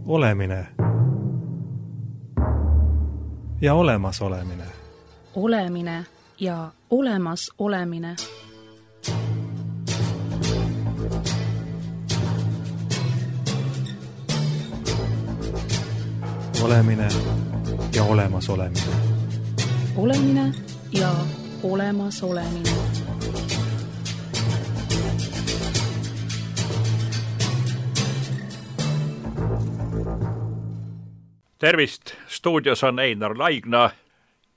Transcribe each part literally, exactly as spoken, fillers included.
Olemine ja olemas olemine. Olemine ja olemas olemine. Olemine ja olemas olemine. Olemine ja olemas olemine. Tervist, stuudios on Einar Laigna.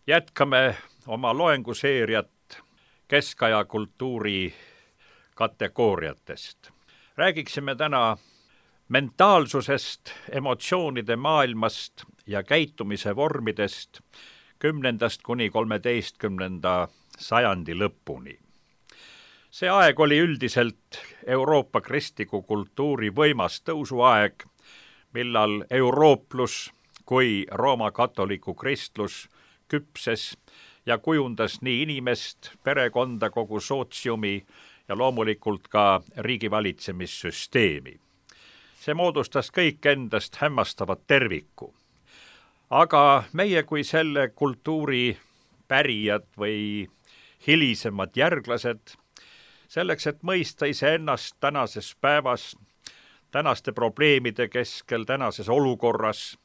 Jätkame oma loenguseeriat keskaja kultuuri kategooriatest. Räägiksime täna mentaalsusest, emotsioonide maailmast ja käitumise vormidest kümnendast kuni kolmeteistkümnenda sajandi lõpuni. See aeg oli üldiselt Euroopa kristliku kultuuri võimas tõusuaeg, millal eurooplus kui Rooma katoliku kristlus küpses ja kujundas nii inimest, perekonda, kogu sootsiumi ja loomulikult ka riigivaalitsemissüsteemi. See moodustas kõik endast hämmastavat terviku. Aga meie kui selle kultuuri pärijad või hilisemad järglased, selleks, et mõista iseennast tänases päevas, tänaste probleemide keskel, tänases olukorras,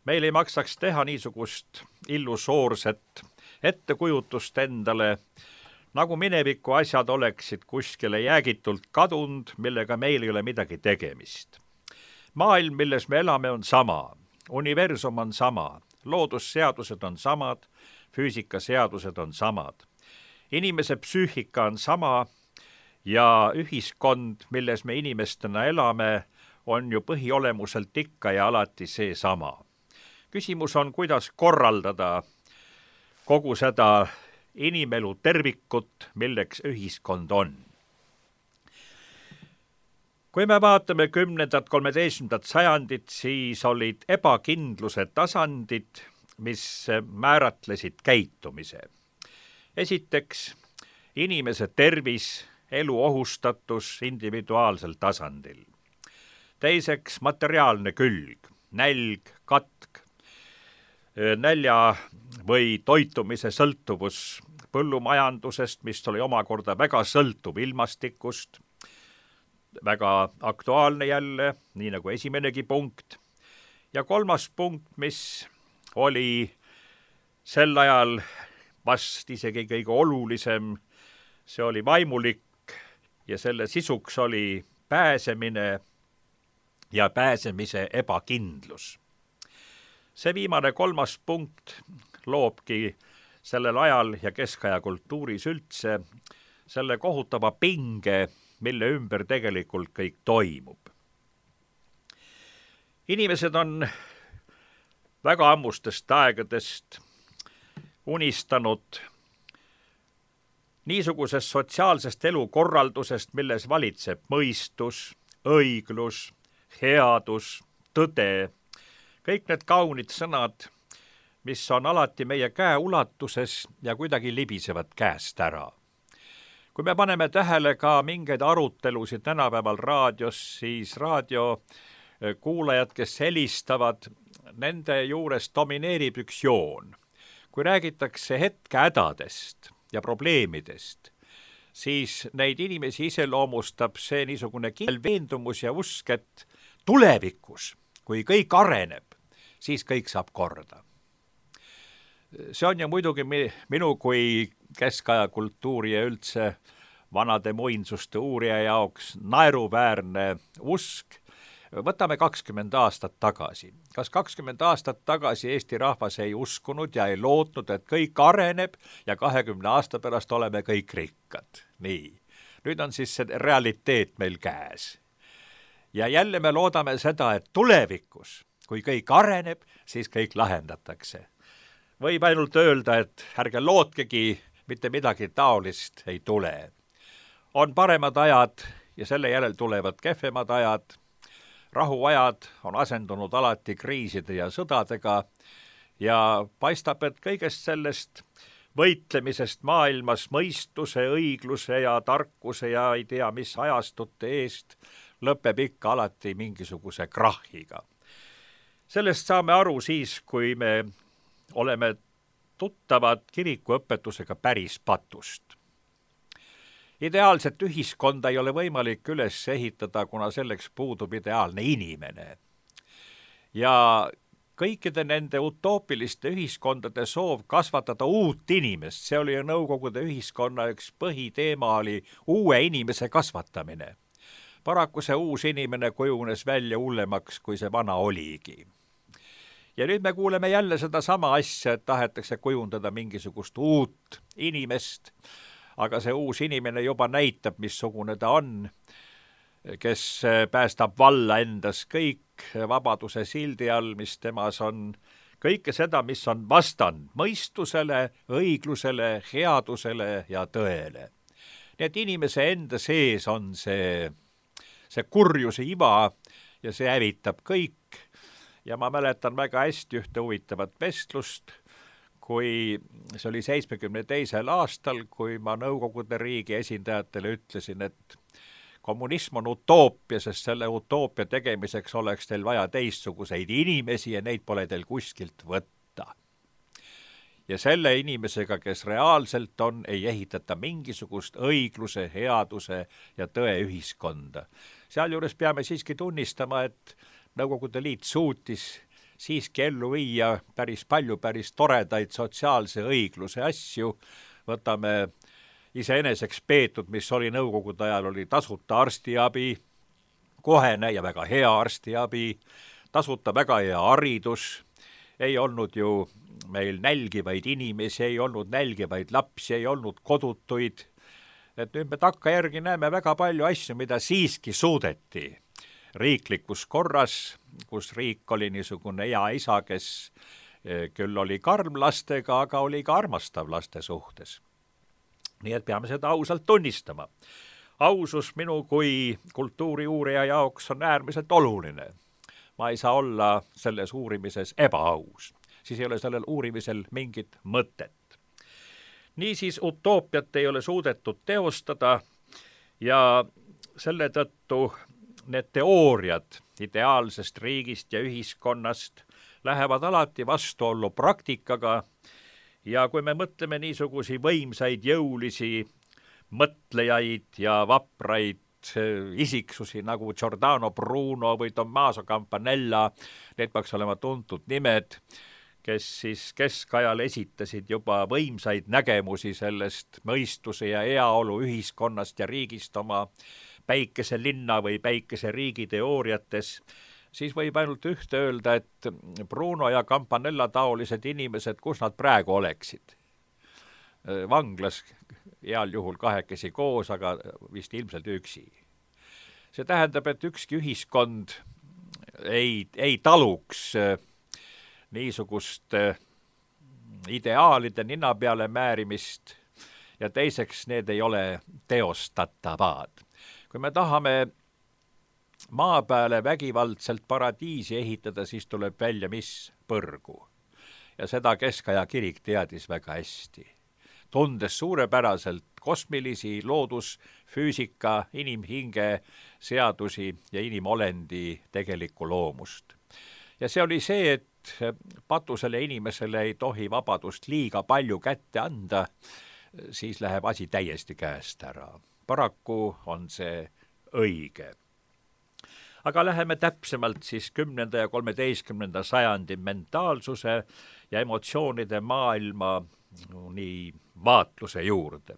meil ei maksaks teha niisugust illusoorset ettekujutust endale, nagu mineviku asjad oleksid kuskile jäägitult kadunud, millega meil ei ole midagi tegemist. Maailm, milles me elame, on sama, universum on sama, loodusseadused on samad, füüsikaseadused on samad. Inimese psüühika on sama ja ühiskond, milles me inimestena elame, on ju põhiolemuselt ikka ja alati see sama. Küsimus on, kuidas korraldada kogu seda inimelu tervikut, milleks ühiskond on. Kui me vaatame kümnendat, kolmeteistkümnendat sajandit, siis olid ebakindluse tasandid, mis määratlesid käitumise. Esiteks, inimese tervis, elu ohustatus individuaalsel tasandil. Teiseks, materiaalne külg, nälg, katk, nälja või toitumise sõltuvus põllumajandusest, mis oli omakorda väga sõltuv ilmastikust, väga aktuaalne jälle, nii nagu esimenegi punkt. Ja kolmas punkt, mis oli sel ajal vast isegi kõige olulisem, see oli vaimulik ja selle sisuks oli pääsemine ja pääsemise ebakindlus. See viimane kolmas punkt loobki sellel ajal ja keskaja kultuuris üldse selle kohutava pinge, mille ümber tegelikult kõik toimub. Inimesed on väga ammustest aegadest unistanud niisugusest sotsiaalsest elukorraldusest, milles valitseb mõistus, õiglus, headus, tõde, kõik need kaunid sõnad, mis on alati meie käe ulatuses ja kuidagi libisevad käest ära. Kui me paneme tähele ka mingeid arutelusid tänapäeval raadios, siis raadiokuulajad, kes helistavad, nende juures domineerib üks joon. Kui räägitakse hetke hädadest ja probleemidest, siis neid inimesi iseloomustab see niisugune kindel veendumus ja usk, et tulevikus, kui kõik areneb, siis kõik saab korda. See on ju muidugi minu kui keskaja kultuuri ja üldse vanade muinsuste uurija jaoks naeruväärne usk. Võtame kakskümmend aastat tagasi. Kas kakskümmend aastat tagasi Eesti rahvas ei uskunud ja ei lootnud, et kõik areneb ja kahekümne aasta pärast oleme kõik rikkad? Nii. Nüüd on siis see realiteet meil käes. Ja jälle me loodame seda, et tulevikus, kui kõik areneb, siis kõik lahendatakse. Võib ainult öelda, et ärge lootkegi, mitte midagi taolist ei tule. On paremad ajad ja selle järel tulevad kehvemad ajad. Rahuajad on asendunud alati kriiside ja sõdadega ja paistab, et kõigest sellest võitlemisest maailmas mõistuse, õigluse ja tarkuse ja ei tea mis ajastute eest lõpeb ikka alati mingisuguse krahhiga. sellest saame aru siis, kui me oleme tuttavad kirikuõpetusega päris patust. Ideaalset ühiskonda ei ole võimalik üles ehitada, kuna selleks puudub ideaalne inimene. Ja kõikide nende utoopiliste ühiskondade soov kasvatada uut inimest, see oli ju Nõukogude ühiskonna üks põhiteema, oli uue inimese kasvatamine. Paraku see uus inimene kujunes välja hullemaks, kui see vana oligi. Ja nüüd me kuuleme jälle seda sama asja, et tahetakse kujundada mingisugust uut inimest, aga see uus inimene juba näitab, missugune ta on, kes päästab valla endas kõik vabaduse sildi all, mis temas on, kõike seda, mis on vastand mõistusele, õiglusele, headusele ja tõele. Nii et inimese enda sees on see, see kurjuse iva ja see hävitab kõik. Ja ma mäletan väga hästi ühte huvitavat vestlust, kui see oli seitsmekümne teisel aastal, kui ma Nõukogude riigi esindajatele ütlesin, et kommunism on utoopia, sest selle utoopia tegemiseks oleks teil vaja teistsuguseid inimesi ja neid pole teil kuskilt võtta. Ja selle inimesega, kes reaalselt on, ei ehitata mingisugust õigluse, headuse ja tõe ühiskonda. Sealjuures peame siiski tunnistama, et Nõukogude Liit suutis siiski ellu viia päris palju päris toredaid sotsiaalse õigluse asju. Võtame iseeneseks peetud, mis oli Nõukogude ajal, oli tasuta arstiabi, kohene ja väga hea arstiabi, tasuta väga hea haridus, ei olnud ju meil nälgivaid inimesi, ei olnud nälgivaid lapsi, ei olnud kodutuid. Et nüüd me takkajärgi näeme väga palju asju, mida siiski suudeti riiklikus korras, kus riik oli niisugune hea isa, kes küll oli karm lastega, aga oli ka armastav laste suhtes. Nii et peame seda ausalt tunnistama. Ausus minu kui kultuuriuurija jaoks on äärmiselt oluline. Ma ei saa olla selles uurimises ebaaus. Siis ei ole sellel uurimisel mingit mõtet. Niisiis utoopiat ei ole suudetud teostada ja selle tõttu need teooriad ideaalsest riigist ja ühiskonnast lähevad alati vastuollu praktikaga ja kui me mõtleme niisugusi võimsaid jõulisi mõtlejaid ja vapraid isiksusi nagu Giordano Bruno või Tommaso Campanella, need peaks olema tuntud nimed, kes siis keskajal esitasid juba võimsaid nägemusi sellest mõistuse ja heaolu ühiskonnast ja riigist oma päikese linna või päikese riigi teooriates, siis võib ainult ühte öelda, et Bruno ja Campanella taolised inimesed, kus nad praegu oleksid. Vanglas heal juhul kahekesi koos, aga vist ilmselt üksi. See tähendab, et ükski ühiskond ei, ei taluks niisugust ideaalide nina peale määrimist ja teiseks need ei ole teostatavad. Kui me tahame maa peale vägivaldselt paradiisi ehitada, siis tuleb välja mis põrgu. Ja seda keskaja kirik teadis väga hästi. Tundes suurepäraselt kosmilisi loodus, füüsika, inimhinge, seadusi ja inimolendi tegelikku loomust. Ja see oli see, et patusele inimesele ei tohi vabadust liiga palju kätte anda, siis läheb asi täiesti käest ära. Paraku on see õige. Aga läheme täpsemalt siis kümnenda ja kolmeteistkümnenda sajandi mentaalsuse ja emotsioonide maailma nii vaatluse juurde.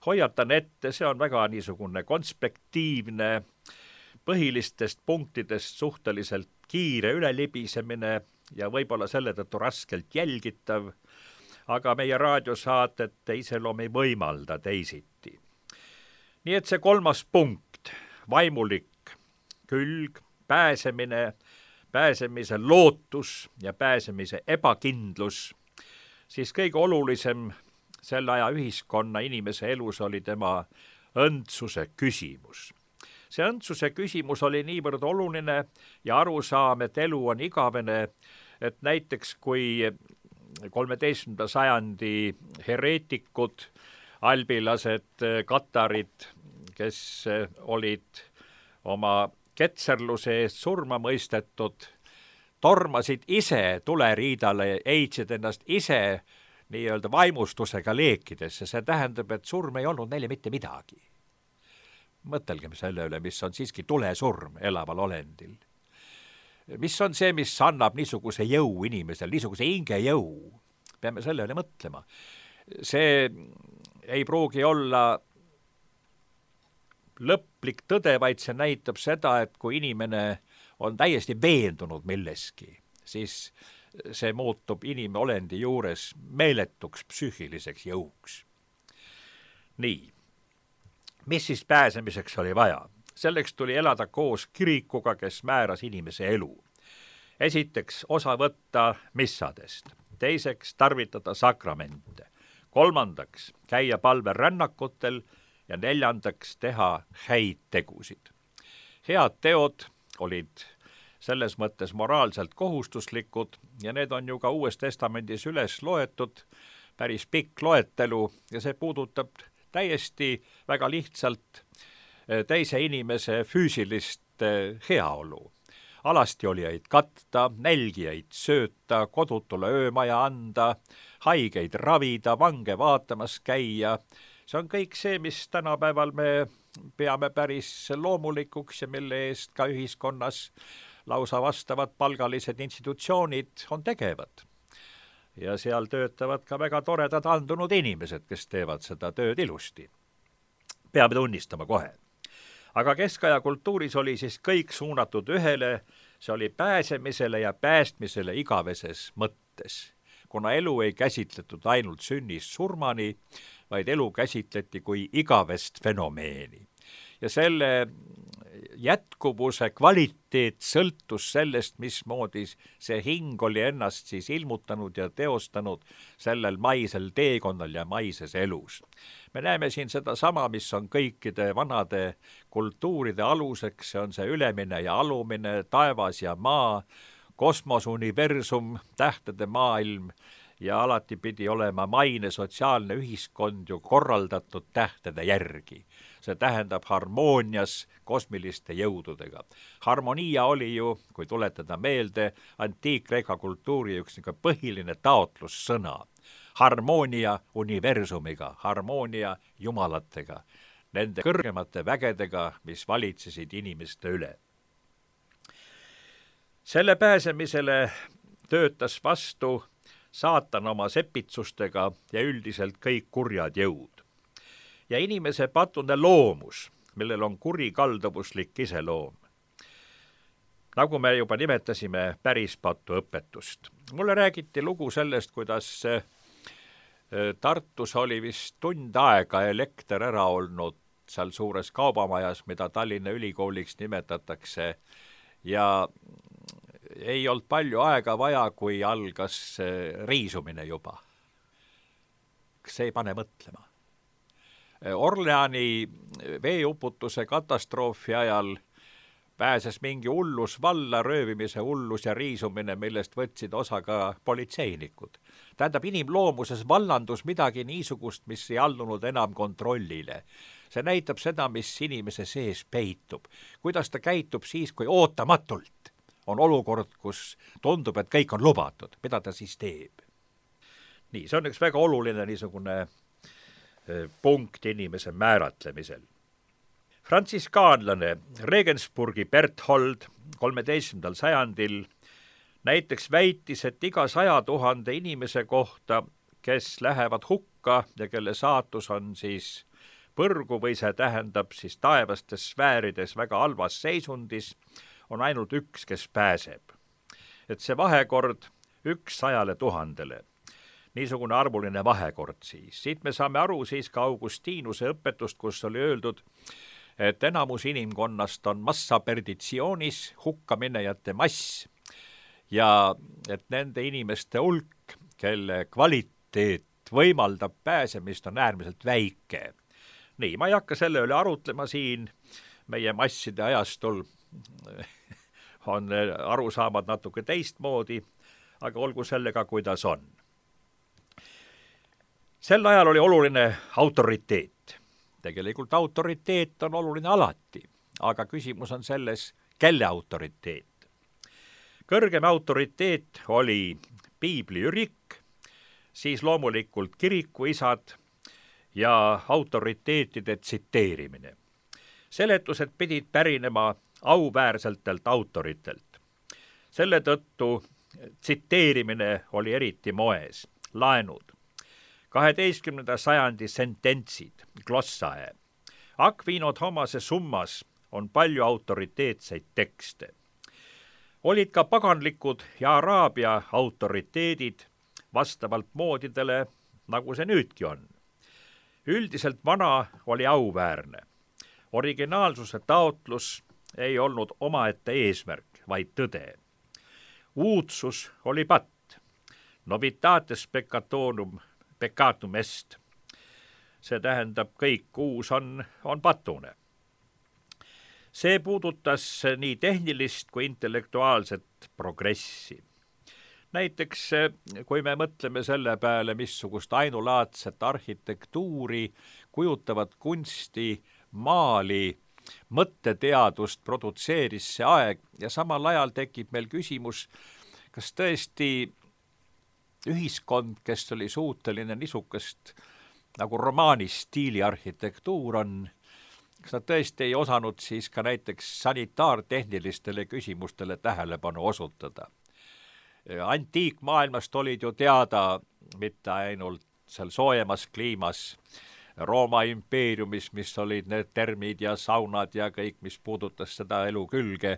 Hoiatan ette, see on väga niisugune konspektiivne, põhilistest punktidest suhteliselt kiire ülelibisemine ja võib-olla selle tõttu raskelt jälgitav, aga meie raadiosaated iseloom ei võimalda teisiti. Nii et see kolmas punkt, vaimulik külg, pääsemine, pääsemise lootus ja pääsemise ebakindlus, siis kõige olulisem selle aja ühiskonna inimese elus oli tema õndsuse küsimus. See õndsuse küsimus oli niivõrd oluline ja arusaam, et elu on igavene, et näiteks kui kolmeteistkümnenda sajandi hereetikud, albilased, katarid, kes olid oma ketserluse eest surma mõistetud, tormasid ise tuleriidale, heitsid ennast ise nii-öelda vaimustusega leekidesse, see tähendab, et surm ei olnud neile mitte midagi. Mõtelgem selle üle, mis on siiski tulesurm elaval olendil. Mis on see, mis annab niisuguse jõu inimesel, niisuguse hingejõu? Peame selle üle mõtlema. See ei pruugi olla lõplik tõde, vaid see näitab seda, et kui inimene on täiesti veendunud milleski, siis see muutub inimolendi juures meeletuks psüühiliseks jõuks. Nii, mis siis pääsemiseks oli vaja? Selleks tuli elada koos kirikuga, kes määras inimese elu. Esiteks osa võtta missadest, teiseks tarvitada sakramente, kolmandaks käia palverännakutel ja neljandaks teha häid tegusid. Head teod olid selles mõttes moraalselt kohustuslikud ja need on ju ka Uues Testamendis üles loetud, päris pikk loetelu ja see puudutab täiesti väga lihtsalt teise inimese füüsilist heaolu. Alastiolijaid katta, nälgijaid sööta, kodutule öömaja anda, haigeid ravida, vange vaatamas käia. See on kõik see, mis tänapäeval me peame päris loomulikuks ja mille eest ka ühiskonnas lausa vastavad palgalised institutsioonid on tegevad. Ja seal töötavad ka väga toredad andunud inimesed, kes teevad seda tööd ilusti. Peame tunnistama kohe. Aga keskaja kultuuris oli siis kõik suunatud ühele, see oli pääsemisele ja päästmisele igaveses mõttes. Kuna elu ei käsitletud ainult sünnist surmani, vaid elu käsitleti kui igavest fenomeeni. Ja selle jätkuvuse kvaliteet sõltus sellest, mismoodi see hing oli ennast siis ilmutanud ja teostanud sellel maisel teekonnal ja maises elus. Me näeme siin seda sama, mis on kõikide vanade kultuuride aluseks, see on see ülemine ja alumine, taevas ja maa, kosmos, universum, tähtede maailm ja alati pidi olema maine sotsiaalne ühiskond ju korraldatud tähtede järgi. See tähendab harmoonias kosmiliste jõududega. Harmonia oli ju, kui tuletada meelde, antiik-Kreeka kultuuri üks põhiline taotlussõna. Harmonia universumiga, harmonia jumalatega, nende kõrgemate vägedega, mis valitsesid inimeste üle. Selle pääsemisele töötas vastu saatan oma sepitsustega ja üldiselt kõik kurjad jõud. Ja inimese patune loomus, millel on kurikalduvuslik iseloom. Nagu me juba nimetasime päris patu õpetust. Mulle räägiti lugu sellest, kuidas Tartus oli vist tund aega elekter ära olnud seal suures kaubamajas, mida Tallinna Ülikooliks nimetatakse, ja ei olnud palju aega vaja, kui algas riisumine juba. See ei pane mõtlema. Orleani veeuputuse katastroofi ajal pääses mingi hullus valla, röövimise hullus ja riisumine, millest võtsid osa ka politseinikud. Tähendab, inimloomuses vallandus midagi niisugust, mis ei allunud enam kontrollile. See näitab seda, mis inimese sees peitub. Kuidas ta käitub siis, kui ootamatult on olukord, kus tundub, et kõik on lubatud. Mida ta siis teeb? Nii, see on üks väga oluline niisugune punkt inimese määratlemisel. Frantsiskaanlane Regensburgi Berthold kolmeteistkümnendal sajandil näiteks väitis, et iga saja tuhande inimese kohta, kes lähevad hukka ja kelle saatus on siis põrgu või see tähendab siis taevastes sfäärides väga halvas seisundis, on ainult üks, kes pääseb. Et see vahekord üks sajale tuhandele. Niisugune arvuline vahekord siis. Siit me saame aru siis ka Augustinuse õpetust, kus oli öeldud, et enamus inimkonnast on massa perditsioonis, hukkaminejate mass ja et nende inimeste hulk, kelle kvaliteet võimaldab pääsemist, on äärmiselt väike. Nii, ma ei hakka selle üle arutlema siin, meie masside ajastul on arusaamad natuke teistmoodi, aga olgu sellega, kuidas on. Sel ajal oli oluline autoriteet. Tegelikult autoriteet on oluline alati, aga küsimus on selles, kelle autoriteet. kõrgem autoriteet oli piibli ürik, siis loomulikult kirikuisad ja autoriteetide tsiteerimine. Seletused pidid pärinema auväärsetelt autoritelt. Selle tõttu tsiteerimine oli eriti moes, laenud. kaheteistkümnenda sajandi sententsid, glossae. Aquino Thomase Summas on palju autoriteetseid tekste. Olid ka paganlikud ja Araabia autoriteedid vastavalt moodidele, nagu see nüüdki on. Üldiselt vana oli auväärne. Originaalsuse taotlus ei olnud omaette eesmärk, vaid tõde. Uudsus oli patt. Novitates peccatorum peccatum est. See tähendab, kõik uus on, on patune. See puudutas nii tehnilist kui intellektuaalset progressi. Näiteks, kui me mõtleme selle peale, missugust ainulaadset arhitektuuri, kujutavat kunsti, maali, mõtteteadust produtseeris see aeg ja samal ajal tekib meil küsimus, kas tõesti ühiskond, kes oli suuteline niisugust nagu romaanis stiili arhitektuur on, kas nad tõesti ei osanud siis ka näiteks sanitaartehnilistele küsimustele tähelepanu osutada. Antiikmaailmast olid ju teada mitte ainult seal soojemas kliimas, Rooma impeeriumis, mis olid need termid ja saunad ja kõik, mis puudutas seda elu külge,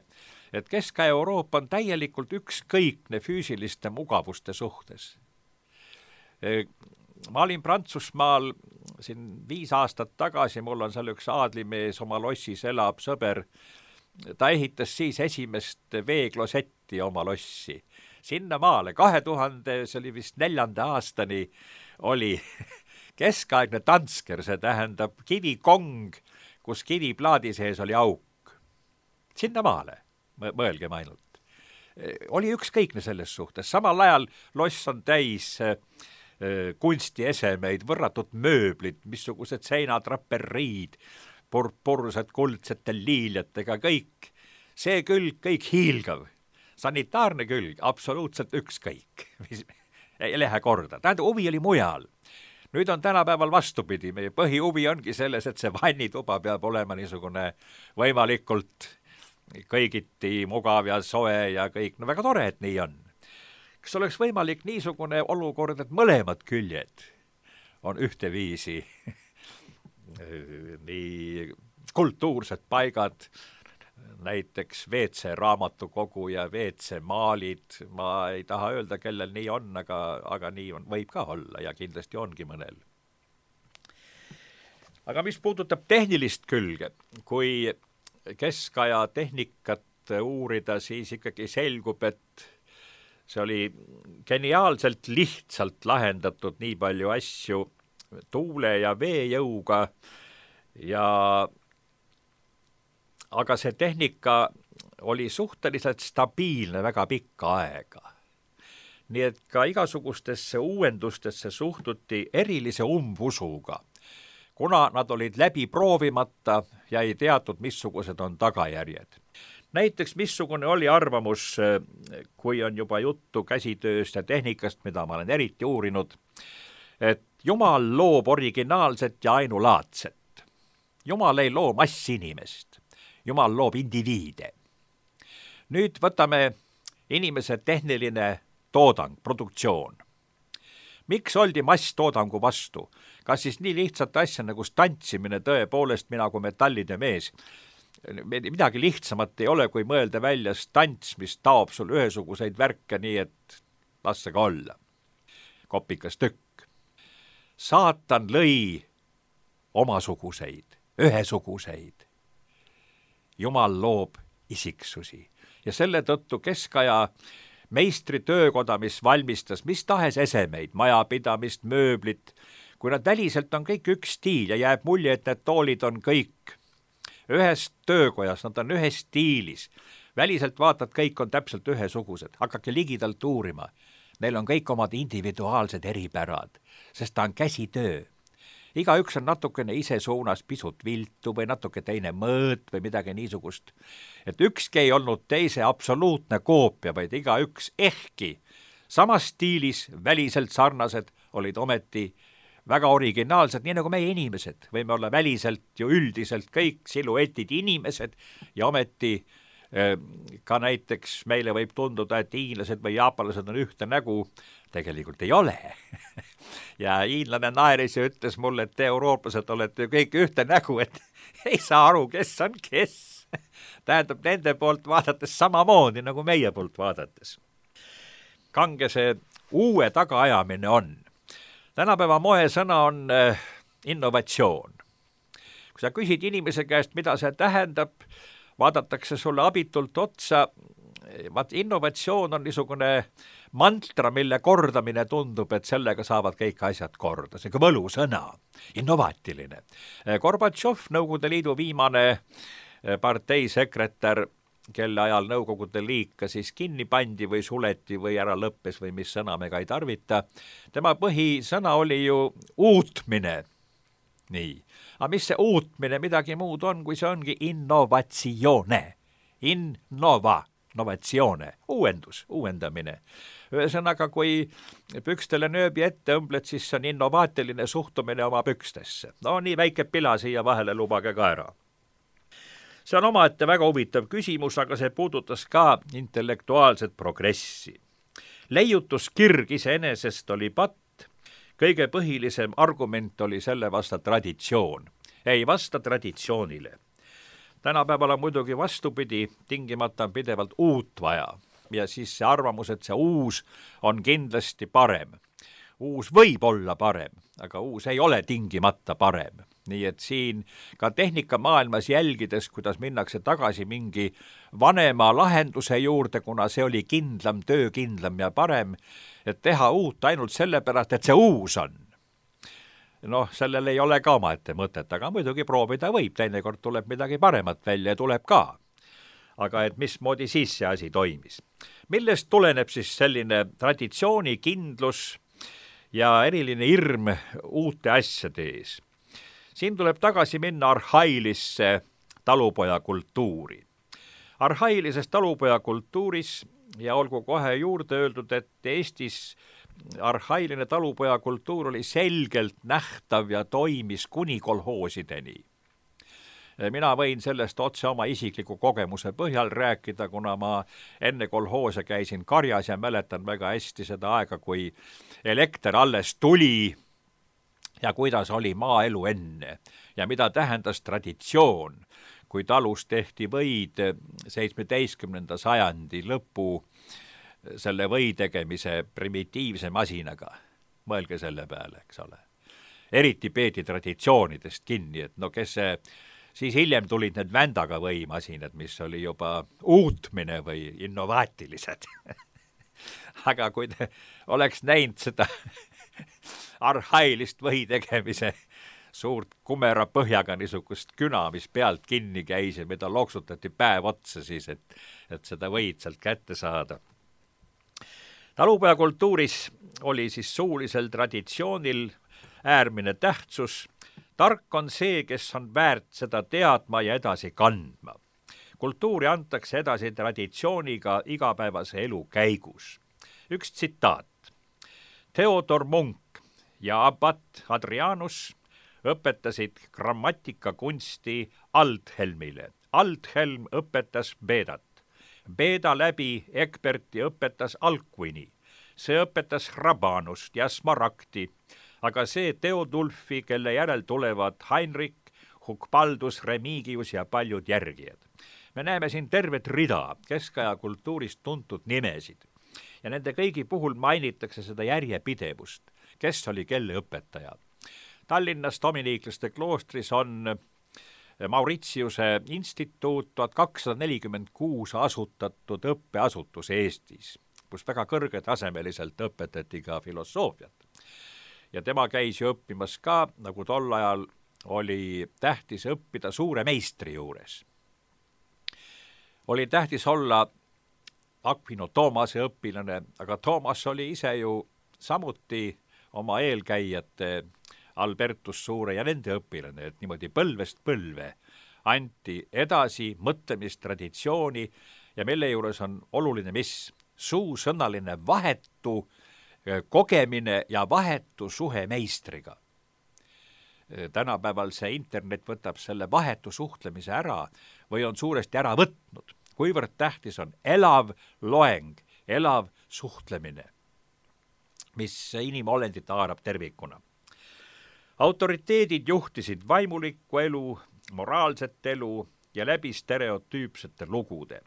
et Kesk-Euroopa on täielikult ükskõikne füüsiliste mugavuste suhtes. Ma olin Prantsusmaal siin viis aastat tagasi, mul on seal üks aadlimees, oma lossis elab sõber, ta ehitas siis esimest veeklosetti oma lossi. Sinna maale kahe tuhande, see oli vist neljanda aastani, oli keskaegne tansker, see tähendab kivikong, kus kiviplaadi sees oli auk. Sinna maale, mõelgem ainult. Oli ükskõikne selles suhtes. Samal ajal loss on täis kunstiesemeid, võrratud mööblid, missugused seinatraperiid, purpursed kuldsete liiljatega, kõik. See külg, kõik hiilgav. Sanitaarne külg, absoluutselt ükskõik. Ei lähe korda. Tähendab, huvi oli mujal. Nüüd on tänapäeval vastupidi. Meie põhihuvi ongi selles, et see vannituba peab olema niisugune võimalikult kõigiti mugav ja soe ja kõik. No väga tore, et nii on. Kas oleks võimalik niisugune olukord, et mõlemad küljed on ühteviisi nii kultuursed paigad, näiteks V C raamatukogu ja V C maalid, ma ei taha öelda, kellel nii on, aga, aga nii on, võib ka olla ja kindlasti ongi mõnel. Aga mis puudutab tehnilist külge, kui keskaja tehnikat uurida, siis ikkagi selgub, et see oli geniaalselt lihtsalt lahendatud nii palju asju tuule ja veejõuga ja aga see tehnika oli suhteliselt stabiilne väga pikka aega. Nii et ka igasugustesse uuendustesse suhtuti erilise umbusuga, kuna nad olid läbi proovimata ja ei teatud, missugused on tagajärjed. Näiteks missugune oli arvamus, kui on juba juttu käsitööst ja tehnikast, mida ma olen eriti uurinud, et Jumal loob originaalset ja ainulaadset. Jumal ei loo massinimest. Jumal loob indiviide. Nüüd võtame inimese tehniline toodang, produktsioon. Miks oldi masstoodangu vastu? Kas siis nii lihtsat asja nagu stantsimine tõepoolest mina kui metallide mees? Midagi lihtsamat ei ole, kui mõelda välja stants, mis taob sul ühesuguseid värke nii, et lasse ka olla. Kopikas tükk. Saatan lõi omasuguseid, ühesuguseid. Jumal loob isiksusi ja selle tõttu keskaja meistri töökoda, mis valmistas mis tahes esemeid, majapidamist, mööblit, kui nad väliselt on kõik üks stiil ja jääb mulje, et need toolid on kõik ühes töökojas, nad on ühes stiilis. Väliselt vaatad, kõik on täpselt ühesugused. Hakake ligidalt uurima. Neil on kõik omad individuaalsed eripärad, sest ta on käsitöö. igaüks on natukene ise suunas pisut viltu või natuke teine mõõt või midagi niisugust. et ükski ei olnud teise absoluutne koopia, vaid igaüks ehkki samas stiilis väliselt sarnased olid ometi väga originaalsed, nii nagu meie inimesed. Võime olla väliselt ju üldiselt kõik siluetid inimesed ja ometi ka näiteks meile võib tunduda, et hiinlased või jaapanlased on ühte nägu, tegelikult ei ole. ja hiinlane naeris ja ütles mulle, et te eurooplased olete kõik ühte nägu, et ei saa aru, kes on kes. Tähendab, nende poolt vaadates samamoodi nagu meie poolt vaadates. Kange see uue tagaajamine on. Tänapäeva moesõna on innovatsioon. Kui sa küsid inimese käest, mida see tähendab, vaadatakse sulle abitult otsa. Vaat innovatsioon on niisugune mantra, mille kordamine tundub, et sellega saavad kõik asjad korda. See on ka võlusõna, innovaatiline. Gorbatšov, Nõukogude Liidu viimane parteisekretär, kelle ajal Nõukogude Liit ka siis kinni pandi või suleti või ära lõppes või mis sõna me ka ei tarvita. Tema põhisõna oli ju uutmine. Nii. Aga mis see uutmine midagi muud on, kui see ongi innovatsioone. Innova, innovatsioone, uuendus, uuendamine. Ühesõnaga, kui pükstele nööbi ette õmbled, siis see on innovaatiline suhtumine oma pükstesse. No nii väike pila siia vahele lubage ka ära. See on omaette väga huvitav küsimus, aga see puudutas ka intellektuaalset progressi. Leiutuskirg iseenesest oli patt, kõige põhilisem argument oli selle vasta traditsioon. Ei vasta traditsioonile. Tänapäeval on muidugi vastupidi, tingimata on pidevalt uut vaja. Ja siis see arvamus, et see uus on kindlasti parem. Uus võib olla parem, aga uus ei ole tingimata parem. Nii et siin ka tehnikamaailmas jälgides, kuidas minnakse tagasi mingi vanema lahenduse juurde, kuna see oli kindlam, töökindlam ja parem, et teha uut ainult sellepärast, et see uus on. Noh, sellel ei ole ka omaette mõtet, aga muidugi proovida võib, teinekord tuleb midagi paremat välja ja tuleb ka. Aga et mismoodi siis see asi toimis? Millest tuleneb siis selline traditsiooni kindlus ja eriline hirm uute asjade ees? Siin tuleb tagasi minna arhailisse talupojakultuuri. Arhailises talupojakultuuris, ja olgu kohe juurde öeldud, et Eestis arhailine talupojakultuur oli selgelt nähtav ja toimis kuni kolhoosideni. Mina võin sellest otse oma isikliku kogemuse põhjal rääkida, kuna ma enne kolhoose käisin karjas ja mäletan väga hästi seda aega, kui elekter alles tuli ja kuidas oli maaelu enne ja mida tähendas traditsioon, kui talus tehti võid seitsmeteistkümnenda sajandi lõpu selle või tegemise primitiivse masinaga. Mõelge selle peale, eks ole. Eriti peeti traditsioonidest kinni, et no kes see, siis hiljem tulid need vändaga võimasinad, mis oli juba uutmine või innovaatilised. Aga kui te oleks näinud seda arhailist või tegemise suurt kumera põhjaga niisugust küna, mis pealt kinni käis ja mida loksutati päev otsa siis, et, et seda võid sealt kätte saada. Talupojakultuuris oli siis suulisel traditsioonil äärmine tähtsus. Tark on see, kes on väärt seda teadma ja edasi kandma. Kultuuri antakse edasi traditsiooniga igapäevase elu käigus. Üks tsitaat. Theodor Munk ja abat Adrianus õpetasid grammatikakunsti Aldhelmile. Aldhelm õpetas Bedat. Beda läbi Egberti õpetas Alcuini. See õpetas Rabanust ja Smaragdi, aga see Theodulfi, kelle järel tulevad Heinrich, Hugbaldus, Remigius ja paljud järgijad. Me näeme siin tervet rida keskaja kultuurist tuntud nimesid ja nende kõigi puhul mainitakse seda järjepidevust, kes oli kelle õpetaja. Tallinnas dominiiklaste kloostris on Mauritiuse instituut tuhat kakssada nelikümmend kuus asutatud õppeasutus Eestis, kus väga kõrgetasemeliselt õpetati ka filosoofiat. Ja tema käis ju õppimas ka, nagu tol ajal oli tähtis õppida suure meistri juures. Oli tähtis olla Aquino Toomase õpilane, aga Toomas oli ise ju samuti oma eelkäijate Albertus Suure ja nende õpilane, et niimoodi põlvest põlve anti edasi mõtlemistraditsiooni ja mille juures on oluline mis? Suusõnaline vahetu kogemine ja vahetu suhe meistriga. Tänapäeval see internet võtab selle vahetu suhtlemise ära või on suuresti ära võtnud, kuivõrd tähtis on elav loeng, elav suhtlemine, mis inimolendit haarab tervikuna. Autoriteedid juhtisid vaimulikku elu, moraalset elu ja läbi stereotüüpsete lugude.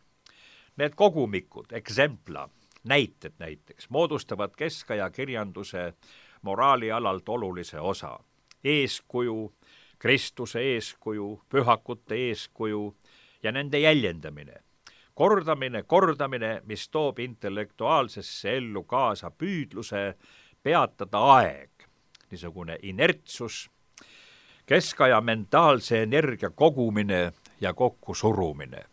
Need kogumikud, eksempla, näited näiteks, moodustavad keskaja kirjanduse moraali alalt olulise osa. Eeskuju, Kristuse eeskuju, pühakute eeskuju ja nende jäljendamine. Kordamine, kordamine, mis toob intellektuaalsesse ellu kaasa püüdluse peatada aeg, niisugune inertsus, keskaja mentaalse energia kogumine ja kokkusurumine.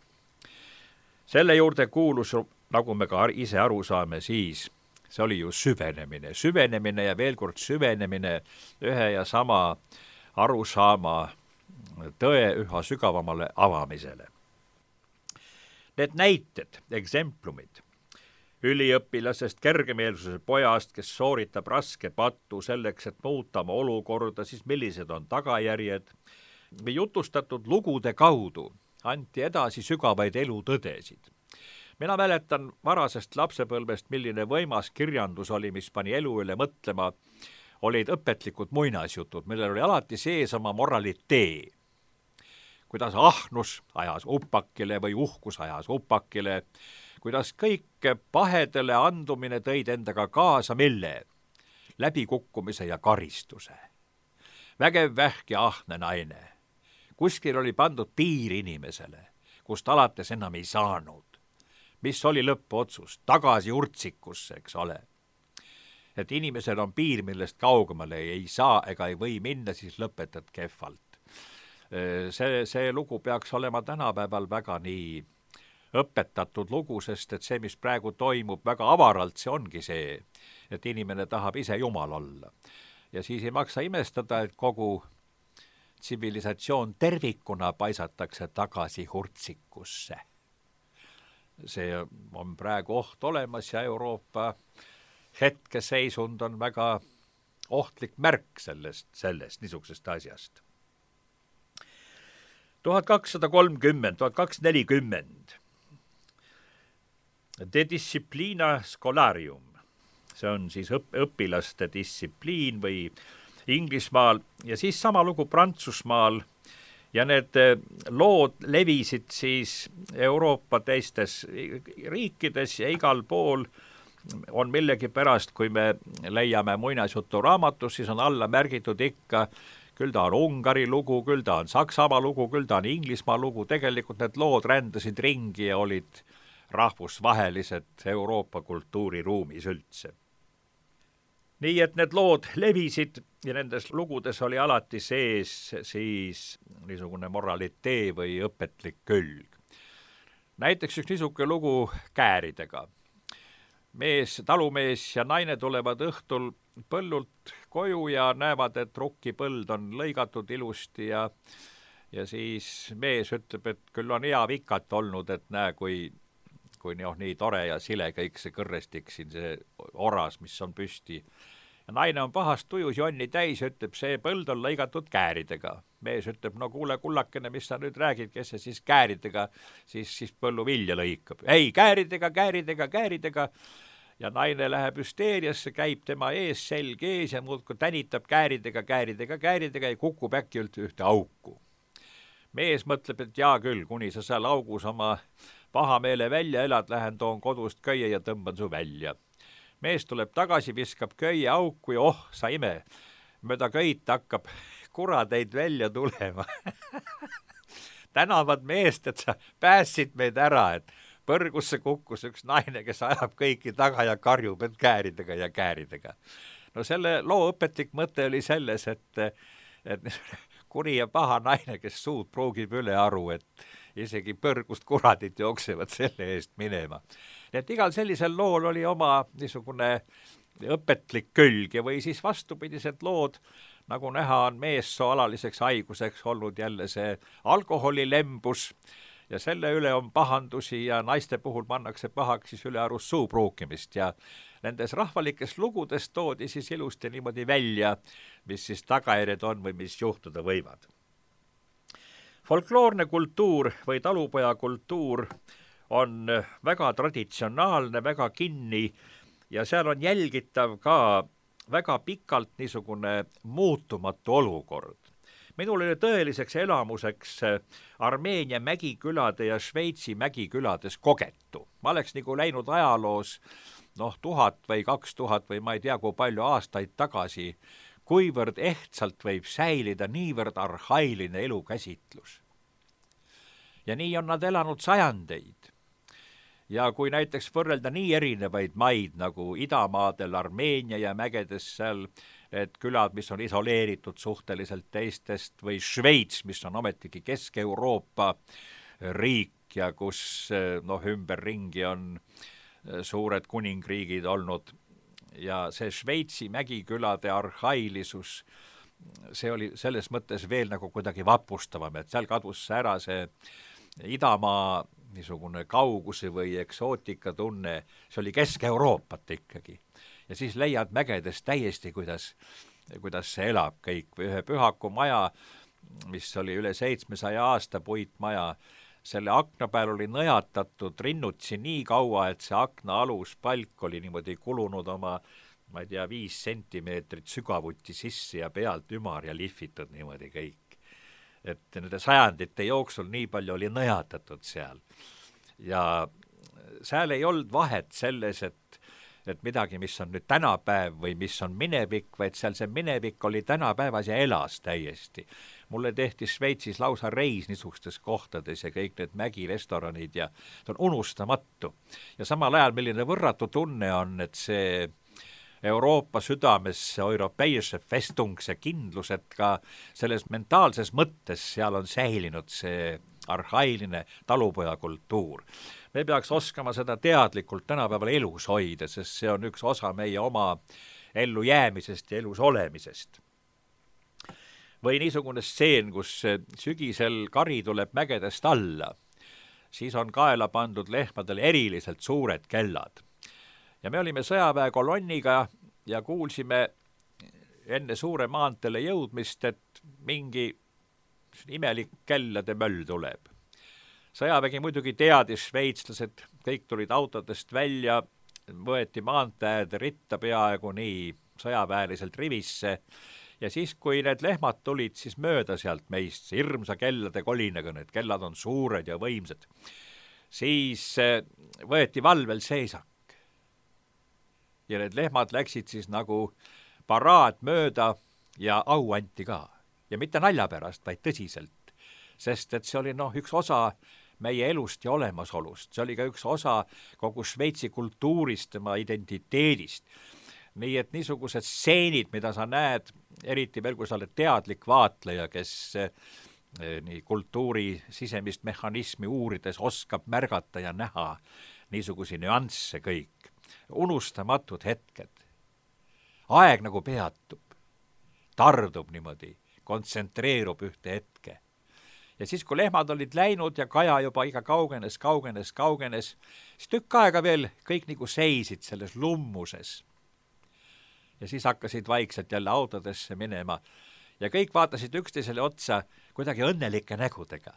Selle juurde kuulus, nagu me ka ise aru saame, siis see oli ju süvenemine, süvenemine ja veel kord süvenemine ühe ja sama arusaama tõe üha sügavamale avamisele. Need näited, eksemplumid, üliõpilasest kergemeelsuse pojast, kes sooritab raske pattu selleks, et muuta oma olukorda, siis millised on tagajärjed, või jutustatud lugude kaudu anti edasi sügavaid elutõdesid. Mina mäletan varasest lapsepõlvest, milline võimas kirjandus oli, mis pani elu üle mõtlema, olid õpetlikud muinasjutud, millel oli alati sees oma moralitee. Kuidas ahnus ajas upakile või uhkus ajas upakile, kuidas kõik pahedele andumine tõid endaga kaasa mille? Läbikukkumise ja karistuse. Vägev vähk ja ahne naine. Kuskil oli pandud piir inimesele, kust alates enam ei saanud. Mis oli lõppotsus? Tagasi urtsikusse, eks ole. Et inimesel on piir, millest kaugemale ei saa ega ei või minna, siis lõpetad kehvalt. See, see lugu peaks olema tänapäeval väga nii õpetatud lugu, sest et see, mis praegu toimub väga avaralt, see ongi see, et inimene tahab ise jumal olla. Ja siis ei maksa imestada, et kogu tsivilisatsioon tervikuna paisatakse tagasi urtsikusse. See on praegu oht olemas ja Euroopa hetkeseisund on väga ohtlik märk sellest, sellest niisugusest asjast. tuhat kakssada kolmkümmend, tuhat kakssada nelikümmend De disciplina scholarium, see on siis õp- õpilaste distsipliin või Inglismaal ja siis sama lugu Prantsusmaal. Ja need lood levisid siis Euroopa teistes riikides ja igal pool on millegi pärast, kui me leiame muinasjutu raamatus, siis on alla märgitud ikka, küll ta on Ungari lugu, küll ta on Saksamaa lugu, küll ta on Inglismaa lugu, tegelikult need lood rändasid ringi ja olid rahvusvahelised Euroopa kultuuriruumis üldse. Nii et need lood levisid ja nendes lugudes oli alati sees siis niisugune moralitee või õpetlik külg. Näiteks üks niisugune lugu kääridega. Mees, talumees ja naine tulevad õhtul põllult koju ja näevad, et rukkipõld on lõigatud ilusti ja, ja siis mees ütleb, et küll on hea vikat olnud, et näe, kui, kui noh, nii tore ja sile kõik see kõrrestik siin, see oras, mis on püsti. Ja naine on pahast tujus jonni täis ja ütleb, see põld on lõigatud kääridega. Mees ütleb, no kuule kullakene, mis sa nüüd räägid, kes see siis kääridega, siis, siis põllu vilja lõikab. Ei, kääridega, kääridega, kääridega. Ja naine läheb hüsteeriasse, käib tema ees, selg ees ja muudkui tänitab kääridega, kääridega, kääridega ja kukub äkki üldse ühte auku. Mees mõtleb, et jaa küll, kuni sa seal augus oma pahameele välja elad, lähen toon kodust köie ja tõmban su välja. Mees tuleb tagasi, viskab köie auku ja oh, sa ime, mööda köit hakkab kuradeid välja tulema. Tänavad meest, et sa päässid meid ära, et põrgusse kukkus üks naine, kes ajab kõiki taga ja karjub, et kääridega ja kääridega. No selle loo õpetlik mõte oli selles, et, et kuri ja paha naine, kes suud pruugib üle aru, et isegi põrgust kuradid jooksevad selle eest minema. Nii et igal sellisel lool oli oma niisugune õpetlik külg ja või siis vastupidised lood, nagu näha, on meessoo alaliseks haiguseks olnud jälle see alkoholilembus ja selle üle on pahandusi ja naiste puhul pannakse pahaks siis ülearust suu pruukimist ja nendes rahvalikes lugudes toodi siis ilusti niimoodi välja, mis siis tagajärjed on või mis juhtuda võivad. Folkloorne kultuur või talupojakultuur on väga traditsionaalne, väga kinni ja seal on jälgitav ka väga pikalt niisugune muutumatu olukord. Minul oli tõeliseks elamuseks Armeenia mägikülade ja Šveitsi mägikülades kogetu. Ma oleks nagu läinud ajaloos noh, tuhat või kaks tuhat või ma ei tea, kui palju aastaid tagasi, kuivõrd ehtsalt võib säilida niivõrd arhailine elukäsitlus. Ja nii on nad elanud sajandeid. Ja kui näiteks võrrelda nii erinevaid maid nagu idamaadel, Armeenia ja mägedes seal, et külad, mis on isoleeritud suhteliselt teistest, või Šveits, mis on ometigi Kesk-Euroopa riik ja kus noh, ümberringi on suured kuningriigid olnud ja see Šveitsi mägikülade arhailisus, see oli selles mõttes veel nagu kuidagi vapustavam, et seal kadus ära see idamaa niisugune kauguse või eksootika tunne, see oli Kesk-Euroopat ikkagi. Ja siis leiad mägedes täiesti, kuidas, kuidas see elab kõik. Või ühe Pühaku maja, mis oli üle seitsmesaja aasta puitmaja, selle akna peal oli nõjatatud rinnutsi nii kaua, et see akna alus palk oli niimoodi kulunud oma, ma ei tea, viis sentimeetrit sügavuti sisse ja pealt ümar ja lihvitud niimoodi kõik. Et nende sajandite jooksul nii palju oli nõjatatud seal. Ja seal ei olnud vahet selles, et, et midagi, mis on nüüd tänapäev või mis on minevik, vaid seal see minevik oli tänapäevas ja elas täiesti. Mulle tehti Šveitsis lausa reis niisugustes kohtades ja kõik need mägirestoranid ja see on unustamatu. Ja samal ajal, milline võrratu tunne on, et see Euroopa südames, see europeise festung, see kindlus, et ka selles mentaalses mõttes seal on säilinud see arhailine talupojakultuur. Me peaks oskama seda teadlikult tänapäeval elus hoida, sest see on üks osa meie oma ellu jäämisest ja elus olemisest. Või niisugune stseen, kus sügisel kari tuleb mägedest alla, siis on kaela pandud lehmadel eriliselt suured kellad. Ja me olime sõjaväekolonniga ja kuulsime enne suure maanteele jõudmist, et mingi imelik kellade möll tuleb. Sõjavägi muidugi teadis, šveitslased, kõik tulid autodest välja, võeti maanteed ritta peaaegu nii sõjaväeliselt rivisse ja siis, kui need lehmad tulid, siis mööda sealt meist, hirmsa kellade kolinaga, need kellad on suured ja võimsad, siis võeti valvel seisak. Ja need lehmad läksid siis nagu paraad mööda ja au anti ka. Ja mitte nalja pärast, vaid tõsiselt. Sest et see oli noh, üks osa meie elust ja olemasolust. See oli ka üks osa kogu Šveitsi kultuurist, tema identiteedist. Nii et niisugused stseenid, mida sa näed, eriti veel kui sa oled teadlik vaatleja, kes nii kultuuri sisemist mehhanismi uurides oskab märgata ja näha niisugusi nüansse kõik. Unustamatud hetked. Aeg nagu peatub, tardub niimoodi, kontsentreerub ühte hetke. Ja siis, kui lehmad olid läinud ja kaja juba iga kaugenes, kaugenes, kaugenes, siis tükk aega veel kõik nagu seisid selles lummuses. Ja siis hakkasid vaikselt jälle autodesse minema ja kõik vaatasid üksteisele otsa kuidagi õnnelike nägudega,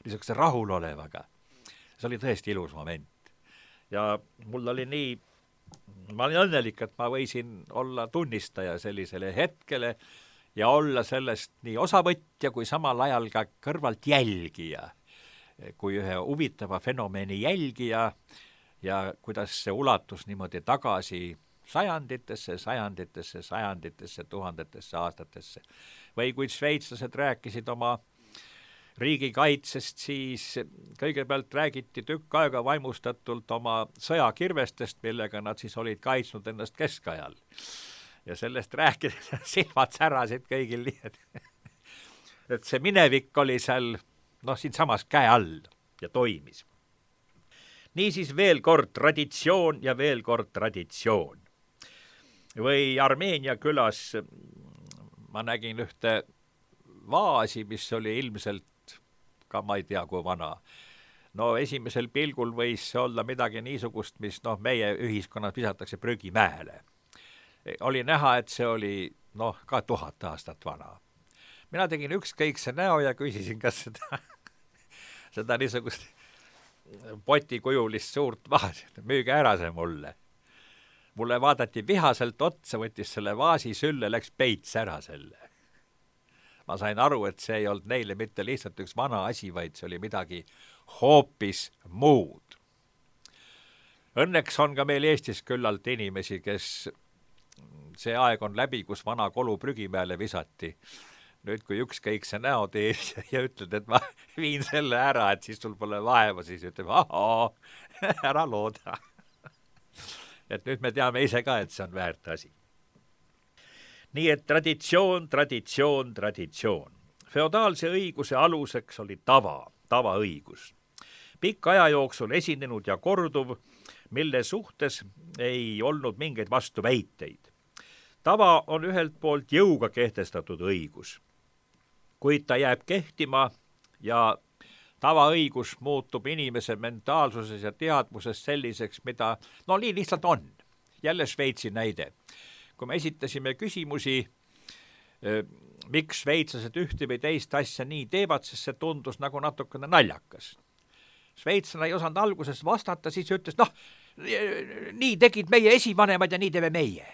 niisuguse rahulolevaga. See oli tõesti ilus moment. Ja mul oli nii, ma olin õnnelik, et ma võisin olla tunnistaja sellisele hetkele ja olla sellest nii osavõtja kui samal ajal ka kõrvalt jälgija, kui ühe huvitava fenomeni jälgija ja kuidas see ulatus niimoodi tagasi sajanditesse, sajanditesse, sajanditesse, tuhandetesse aastatesse. Või kui šveitslased rääkisid oma riigikaitsest, siis kõigepealt räägiti tükk aega vaimustatult oma sõjakirvestest, millega nad siis olid kaitsnud ennast keskajal. Ja sellest rääkides silmad särasid kõigil nii, et, et see minevik oli seal noh, siin samas käe all ja toimis. Niisiis veel kord traditsioon ja veel kord traditsioon. Või Armeenia külas ma nägin ühte vaasi, mis oli ilmselt ka ma ei tea, kui vana. No esimesel pilgul võis see olla midagi niisugust, mis noh, meie ühiskonnas visatakse prügimäele. Oli näha, et see oli noh, ka tuhat aastat vana. Mina tegin ükskõikse näo ja küsisin, kas seda, seda niisugust potikujulist suurt vaasi, müüge ära see mulle. Mulle vaadati vihaselt otsa, võttis selle vaasi sülle, läks peits ära selle. Ma sain aru, et see ei olnud neile mitte lihtsalt üks vana asi, vaid see oli midagi hoopis muud. Õnneks on ka meil Eestis küllalt inimesi, kes see aeg on läbi, kus vana kolu prügimäele visati. Nüüd, kui ükskõik see näo teed ja ütled, et ma viin selle ära, et siis sul pole vaeva, siis ütleb, ahoo, ära looda. Et nüüd me teame ise ka, et see on väärt asi. Nii et traditsioon, traditsioon, traditsioon. Feodaalse õiguse aluseks oli tava, tavaõigus. Pikk aja jooksul esinenud ja korduv, mille suhtes ei olnud mingeid vastuväiteid. Tava on ühelt poolt jõuga kehtestatud õigus, kuid ta jääb kehtima ja tavaõigus muutub inimese mentaalsuses ja teadvuses selliseks, mida, no nii lihtsalt on. Jälle Šveitsi näide. Kui me esitasime küsimusi, miks šveitslased ühte või teist asja nii teevad, sest see tundus nagu natukene naljakas. Šveitslane ei osanud alguses vastata, siis ütles, noh, nii tegid meie esivanemad ja nii teeme meie.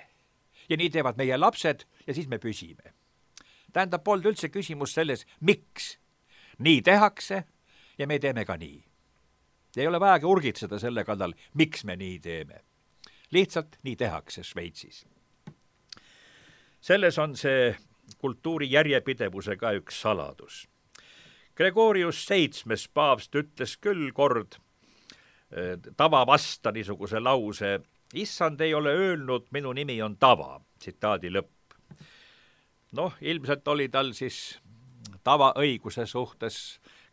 Ja nii teevad meie lapsed ja siis me püsime. Tähendab, polnud üldse küsimus selles, miks nii tehakse ja me teeme ka nii. Ei ole vajagi urgitseda selle kallal, miks me nii teeme. Lihtsalt nii tehakse Šveitsis. Selles on see kultuuri järjepidevuse ka üks saladus. Gregorius seitsmes paavst ütles küll kord tava vasta niisuguse lause, issand ei ole öelnud, minu nimi on tava, tsitaadi lõpp. Noh, ilmselt oli tal siis tavaõiguse suhtes,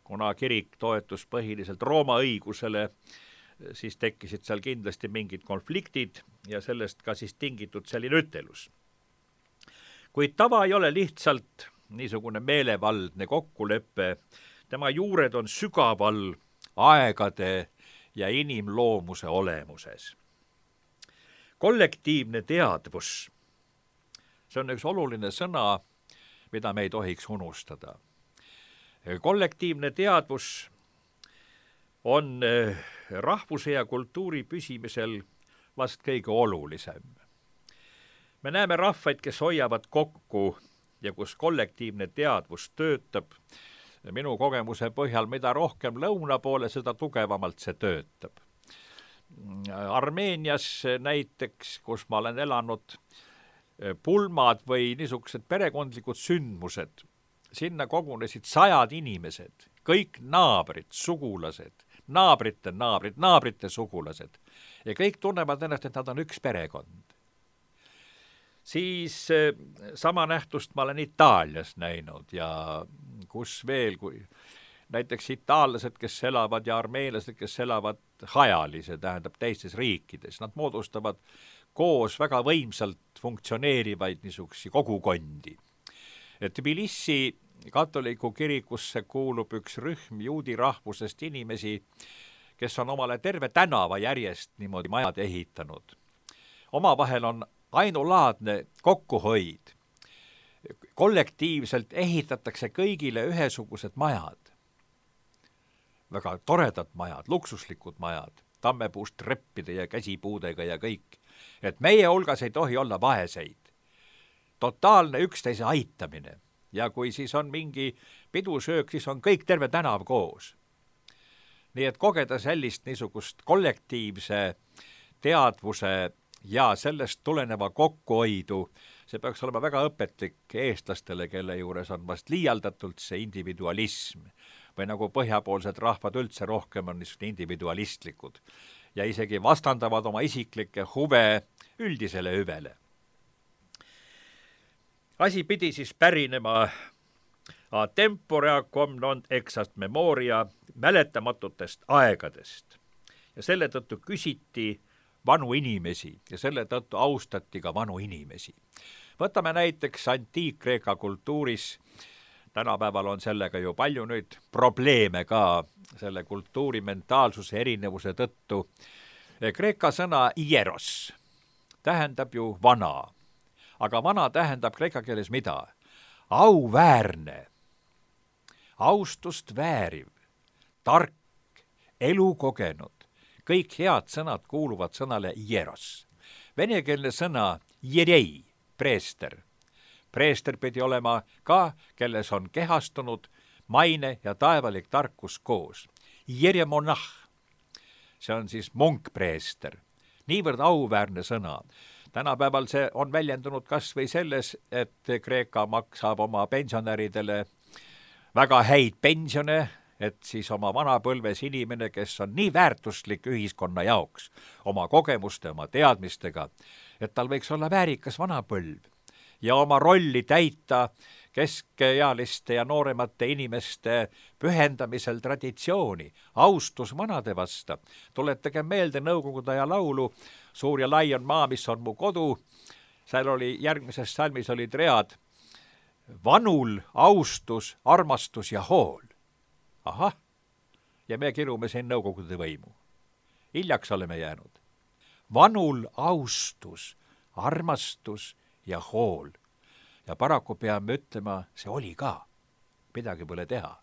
kuna kirik toetus põhiliselt Rooma õigusele, siis tekkisid seal kindlasti mingid konfliktid ja sellest ka siis tingitud selline ütelus. Kuid tava ei ole lihtsalt niisugune meelevaldne kokkulepe, tema juured on sügaval aegade ja inimloomuse olemuses. Kollektiivne teadvus, see on üks oluline sõna, mida me ei tohiks unustada. Kollektiivne teadvus on rahvuse ja kultuuri püsimisel vast kõige olulisem. Me näeme rahvaid, kes hoiavad kokku ja kus kollektiivne teadvus töötab. Minu kogemuse põhjal, mida rohkem lõuna poole, seda tugevamalt see töötab. Armeenias näiteks, kus ma olen elanud, pulmad või niisugused perekondlikud sündmused, sinna kogunesid sajad inimesed, kõik naabrid, sugulased, naabrite naabrid, naabrite sugulased ja kõik tunnevad ennast, et nad on üks perekond. Siis sama nähtust ma olen Itaalias näinud ja kus veel, kui näiteks itaallased, kes elavad ja armeenlased, kes elavad hajali, see tähendab teistes riikides, nad moodustavad koos väga võimsalt funktsioneerivaid niisugusi kogukondi. Tbilisi katoliku kirikusse kuulub üks rühm juudi rahvusest inimesi, kes on omale terve tänava järjest niimoodi majad ehitanud. Omavahel on ainulaadne kokkuhoid. Kollektiivselt ehitatakse kõigile ühesugused majad. Väga toredad majad, luksuslikud majad, tammepuust treppide ja käsipuudega ja kõik. Et meie hulgas ei tohi olla vaeseid. Totaalne üksteise aitamine. Ja kui siis on mingi pidusöök, siis on kõik terve tänav koos. Nii et kogeda sellist niisugust kollektiivse teadvuse ja sellest tuleneva kokkuhoidu, see peaks olema väga õpetlik eestlastele, kelle juures on vast liialdatult see individualism või nagu põhjapoolsed rahvad üldse rohkem on niisugused individualistlikud ja isegi vastandavad oma isiklikke huve üldisele hüvele. Asi pidi siis pärinema a tempora cum non exast memoria mäletamatutest aegadest ja selle tõttu küsiti vanu inimesi ja selle tõttu austati ka vanu inimesi. võtame näiteks antiik-Kreeka kultuuris, tänapäeval on sellega ju palju nüüd probleeme ka selle kultuuri mentaalsuse erinevuse tõttu. Kreeka sõna hieros tähendab ju vana, aga vana tähendab kreeka keeles mida? Auväärne, austust vääriv, tark, elukogenud. Kõik head sõnad kuuluvad sõnale hieros. Venekeelne sõna jerei, preester. Preester pidi olema ka, kelles on kehastunud maine ja taevalik tarkus koos. Jeremonah, see on siis munkpreester. Niivõrd auväärne sõna. Tänapäeval see on väljendunud kas või selles, et Kreeka maksab oma pensionäridele väga häid pensione, et siis oma vanapõlves inimene, kes on nii väärtuslik ühiskonna jaoks, oma kogemuste, oma teadmistega, et tal võiks olla väärikas vanapõlv ja oma rolli täita keskealiste ja nooremate inimeste pühendamisel traditsiooni, austus vanade vasta. Tuletage meelde Nõukogude aja laulu Suur ja lai on maa, mis on mu kodu. Seal oli, järgmises salmis olid read vanul, austus, armastus ja hool. Ahah, ja me kirume siin Nõukogude võimu. Hiljaks oleme jäänud. Vanul, austus, armastus ja hool. Ja paraku peame ütlema, see oli ka. Midagi pole teha.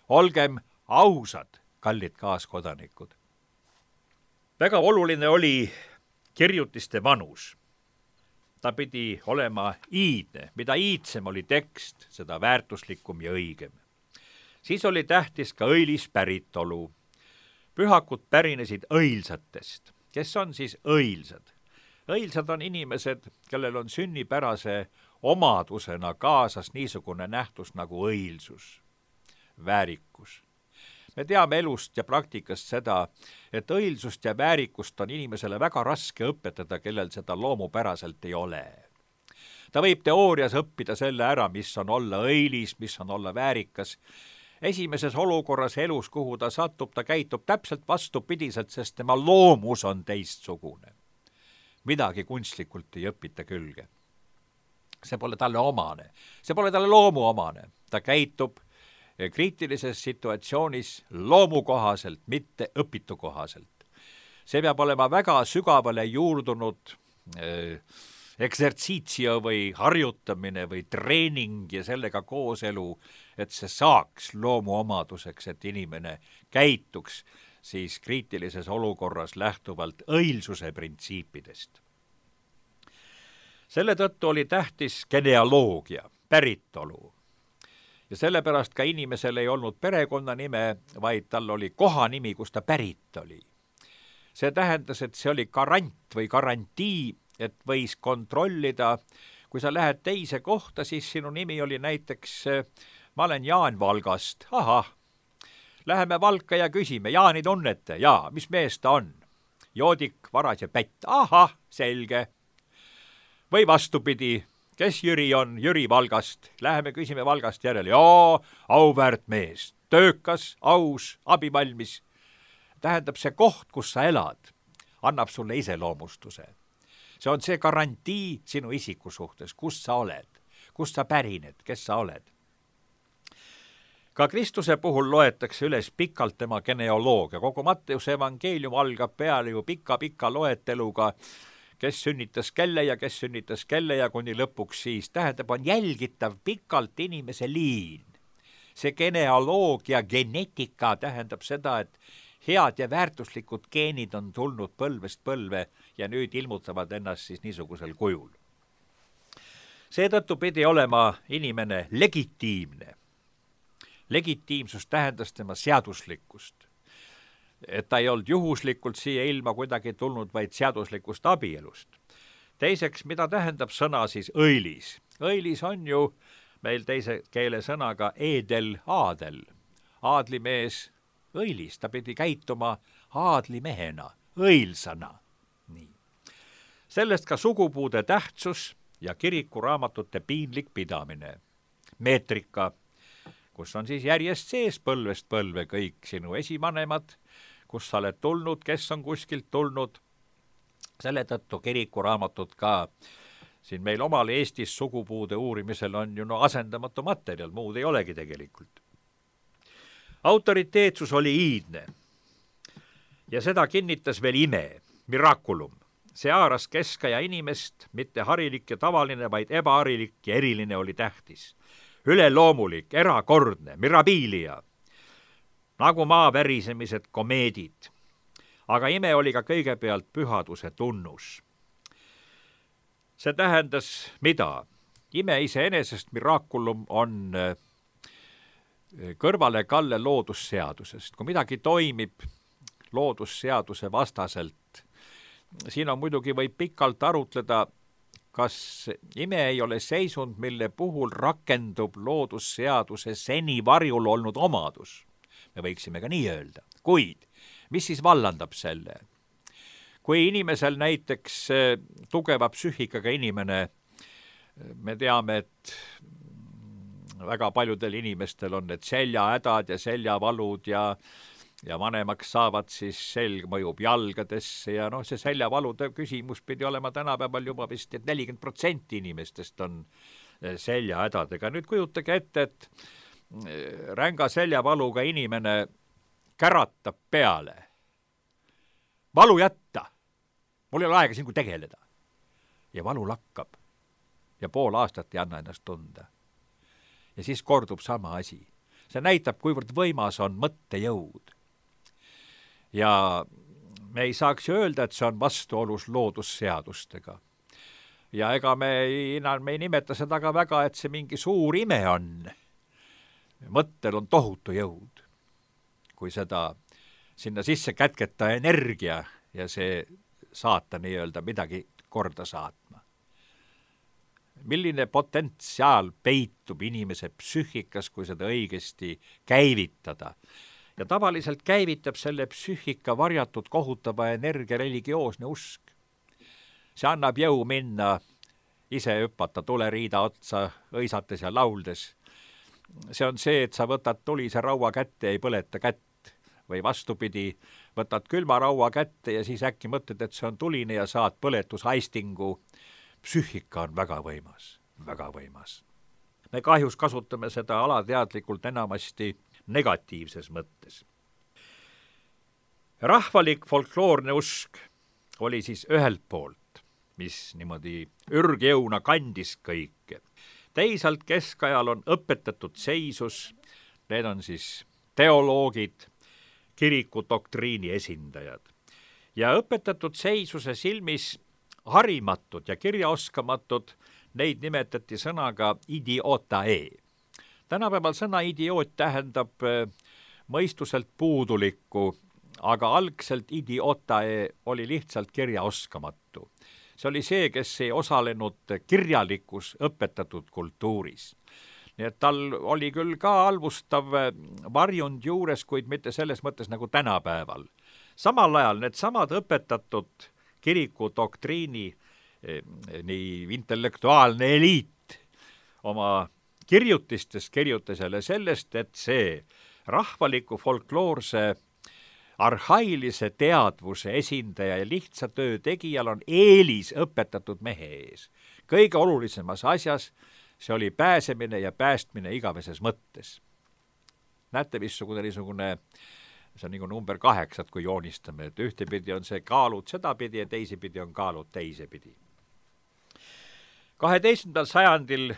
Olgem ausad, kallid kaaskodanikud. Väga oluline oli kirjutiste vanus. Ta pidi olema iidne. Mida iidsem oli tekst, seda väärtuslikum ja õigem. Siis oli tähtis ka õilis päritolu. Pühakud pärinesid õilsatest. Kes on siis õilsad? Õilsad on inimesed, kellel on sünnipärase omadusena kaasas niisugune nähtus nagu õilsus, väärikus. Me teame elust ja praktikast seda, et õilsust ja väärikust on inimesele väga raske õpetada, kellel seda loomupäraselt ei ole. Ta võib teoorias õppida selle ära, mis on olla õilis, mis on olla väärikas. Esimeses olukorras elus, kuhu ta satub, ta käitub täpselt vastupidiselt, sest tema loomus on teistsugune. Midagi kunstlikult ei õpita külge. See pole talle omane. See pole talle loomu omane. Ta käitub kriitilises situatsioonis loomukohaselt, mitte õpitukohaselt. See peab olema väga sügavale juurdunud eh, eksertsiitsio või harjutamine või treening ja sellega kooselu, et see saaks loomuomaduseks, et inimene käituks siis kriitilises olukorras lähtuvalt õilsuse printsiipidest. Selle tõttu oli tähtis genealoogia, päritolu. Ja sellepärast ka inimesel ei olnud perekonnanime, vaid tal oli kohanimi, kus ta pärit oli. See tähendas, et see oli garant või garantii, et võis kontrollida, kui sa lähed teise kohta, siis sinu nimi oli näiteks, ma olen Jaan Valgast, ahah, läheme Valka ja küsime, Jaani tunnete, jaa, mis mees ta on? Joodik, varas ja pätt, ahah, selge. Või vastupidi, kes Jüri on, Jüri Valgast, läheme küsime Valgast järele, jaa, auväärt mees, töökas, aus, abivalmis. Tähendab, see koht, kus sa elad, annab sulle iseloomustuse. See on see garantii sinu isiku suhtes, kus sa oled, kus sa pärined, kes sa oled. Ka Kristuse puhul loetakse üles pikalt tema genealoogia. Kogu Matteuse evangeelium algab peale ju pika-pika loeteluga, kes sünnitas kelle ja kes sünnitas kelle ja kuni lõpuks siis. Tähendab, on jälgitav pikalt inimese liin. See genealoogia, genetika tähendab seda, et head ja väärtuslikud geenid on tulnud põlvest põlve ja nüüd ilmutavad ennast siis niisugusel kujul. Seetõttu pidi olema inimene legitiimne. Legitiimsus tähendas tema seaduslikkust. Et ta ei olnud juhuslikult siia ilma kuidagi tulnud, vaid seaduslikust abielust. Teiseks, mida tähendab sõna siis õilis? Õilis on ju meil teise keele sõnaga eedel aadel. Aadlimees õilis, ta pidi käituma aadlimehena, õilsana. Nii. Sellest ka sugupuude tähtsus ja kirikuraamatute piinlik pidamine. Meetrika, kus on siis järjest sees põlvest põlve kõik sinu esivanemad, kus sa oled tulnud, kes on kuskilt tulnud. Selle tõttu kirikuraamatut ka siin meil omal Eestis sugupuude uurimisel on ju no asendamatu materjal, muud ei olegi tegelikult. Autoriteetsus oli iidne ja seda kinnitas veel ime, miraculum. See haaras keskaja inimest, mitte harilik ja tavaline, vaid ebaharilik ja eriline oli tähtis. Üleloomulik, erakordne, mirabilia, nagu maa värisemised komeedid. Aga ime oli ka kõigepealt pühaduse tunnus. See tähendas mida? Ime iseenesest miraculum on kõrvale kalle loodusseadusest. Kui midagi toimib loodusseaduse vastaselt, siin on muidugi võib pikalt arutleda, kas ime ei ole seisund, mille puhul rakendub loodusseaduse seni varjul olnud omadus. Me võiksime ka nii öelda. Kuid, mis siis vallandab selle? Kui inimesel näiteks tugeva psüühikaga inimene, me teame, et väga paljudel inimestel on need seljahädad ja seljavalud ja ja vanemaks saavad, siis selg mõjub jalgadesse ja noh, see seljavalude küsimus pidi olema tänapäeval juba vist, et nelikümmend protsenti inimestest on seljahädadega. Nüüd kujutage ette, et ränga seljavaluga inimene käratab peale. Valu jätta. Mul ei ole aega siin kui tegeleda. Ja valu lakkab. Ja pool aastat ei anna ennast tunda. Ja siis kordub sama asi. See näitab, kuivõrd võimas on mõttejõud. Ja me ei saaks öelda, et see on vastuolus loodusseadustega. Ja ega me ei, me ei nimeta seda ka väga, et see mingi suur ime on. Mõttel on tohutu jõud. Kui seda sinna sisse kätketa energia ja see saata nii-öelda midagi korda saatma. Milline potentsiaal peitub inimese psüühikas, kui seda õigesti käivitada? Ja tavaliselt käivitab selle psüühika varjatud kohutava energia religioosne usk. See annab jõu minna, ise hüpata tuleriida otsa, õisates ja lauldes. See on see, et sa võtad tulise raua kätte ja ei põleta kätt. Või vastupidi, võtad külma raua kätte ja siis äkki mõtled, et see on tuline ja saad põletushaistingu. Psüühika on väga võimas, väga võimas. Me kahjus kasutame seda alateadlikult enamasti negatiivses mõttes. Rahvalik folkloorne usk oli siis ühelt poolt, mis niimoodi ürgjõuna kandis kõike. Teisalt keskajal on õpetatud seisus, need on siis teoloogid, kiriku doktriini esindajad. Ja õpetatud seisuse silmis harimatud ja kirjaoskamatud, neid nimetati sõnaga idiotae. Tänapäeval sõna idioot tähendab mõistuselt puudulikku, aga algselt idiotae oli lihtsalt kirjaoskamatu. See oli see, kes ei osalenud kirjalikus õpetatud kultuuris. Nii et tal oli küll ka halvustav varjund juures, kuid mitte selles mõttes nagu tänapäeval. Samal ajal need samad õpetatud kiriku doktriini nii intellektuaalne eliit oma kirjutistes kirjutas jälle sellest, et see rahvaliku folkloorse arhailise teadvuse esindaja ja lihtsa töö tegijal on eelis õpetatud mehe ees. Kõige olulisemas asjas see oli pääsemine ja päästmine igaveses mõttes. Näete, missugune niisugune, see on nagu number kaheksat, kui joonistame, et ühtepidi on see kaalud sedapidi ja teisipidi on kaalud teisepidi. kaheteistkümnendal sajandil,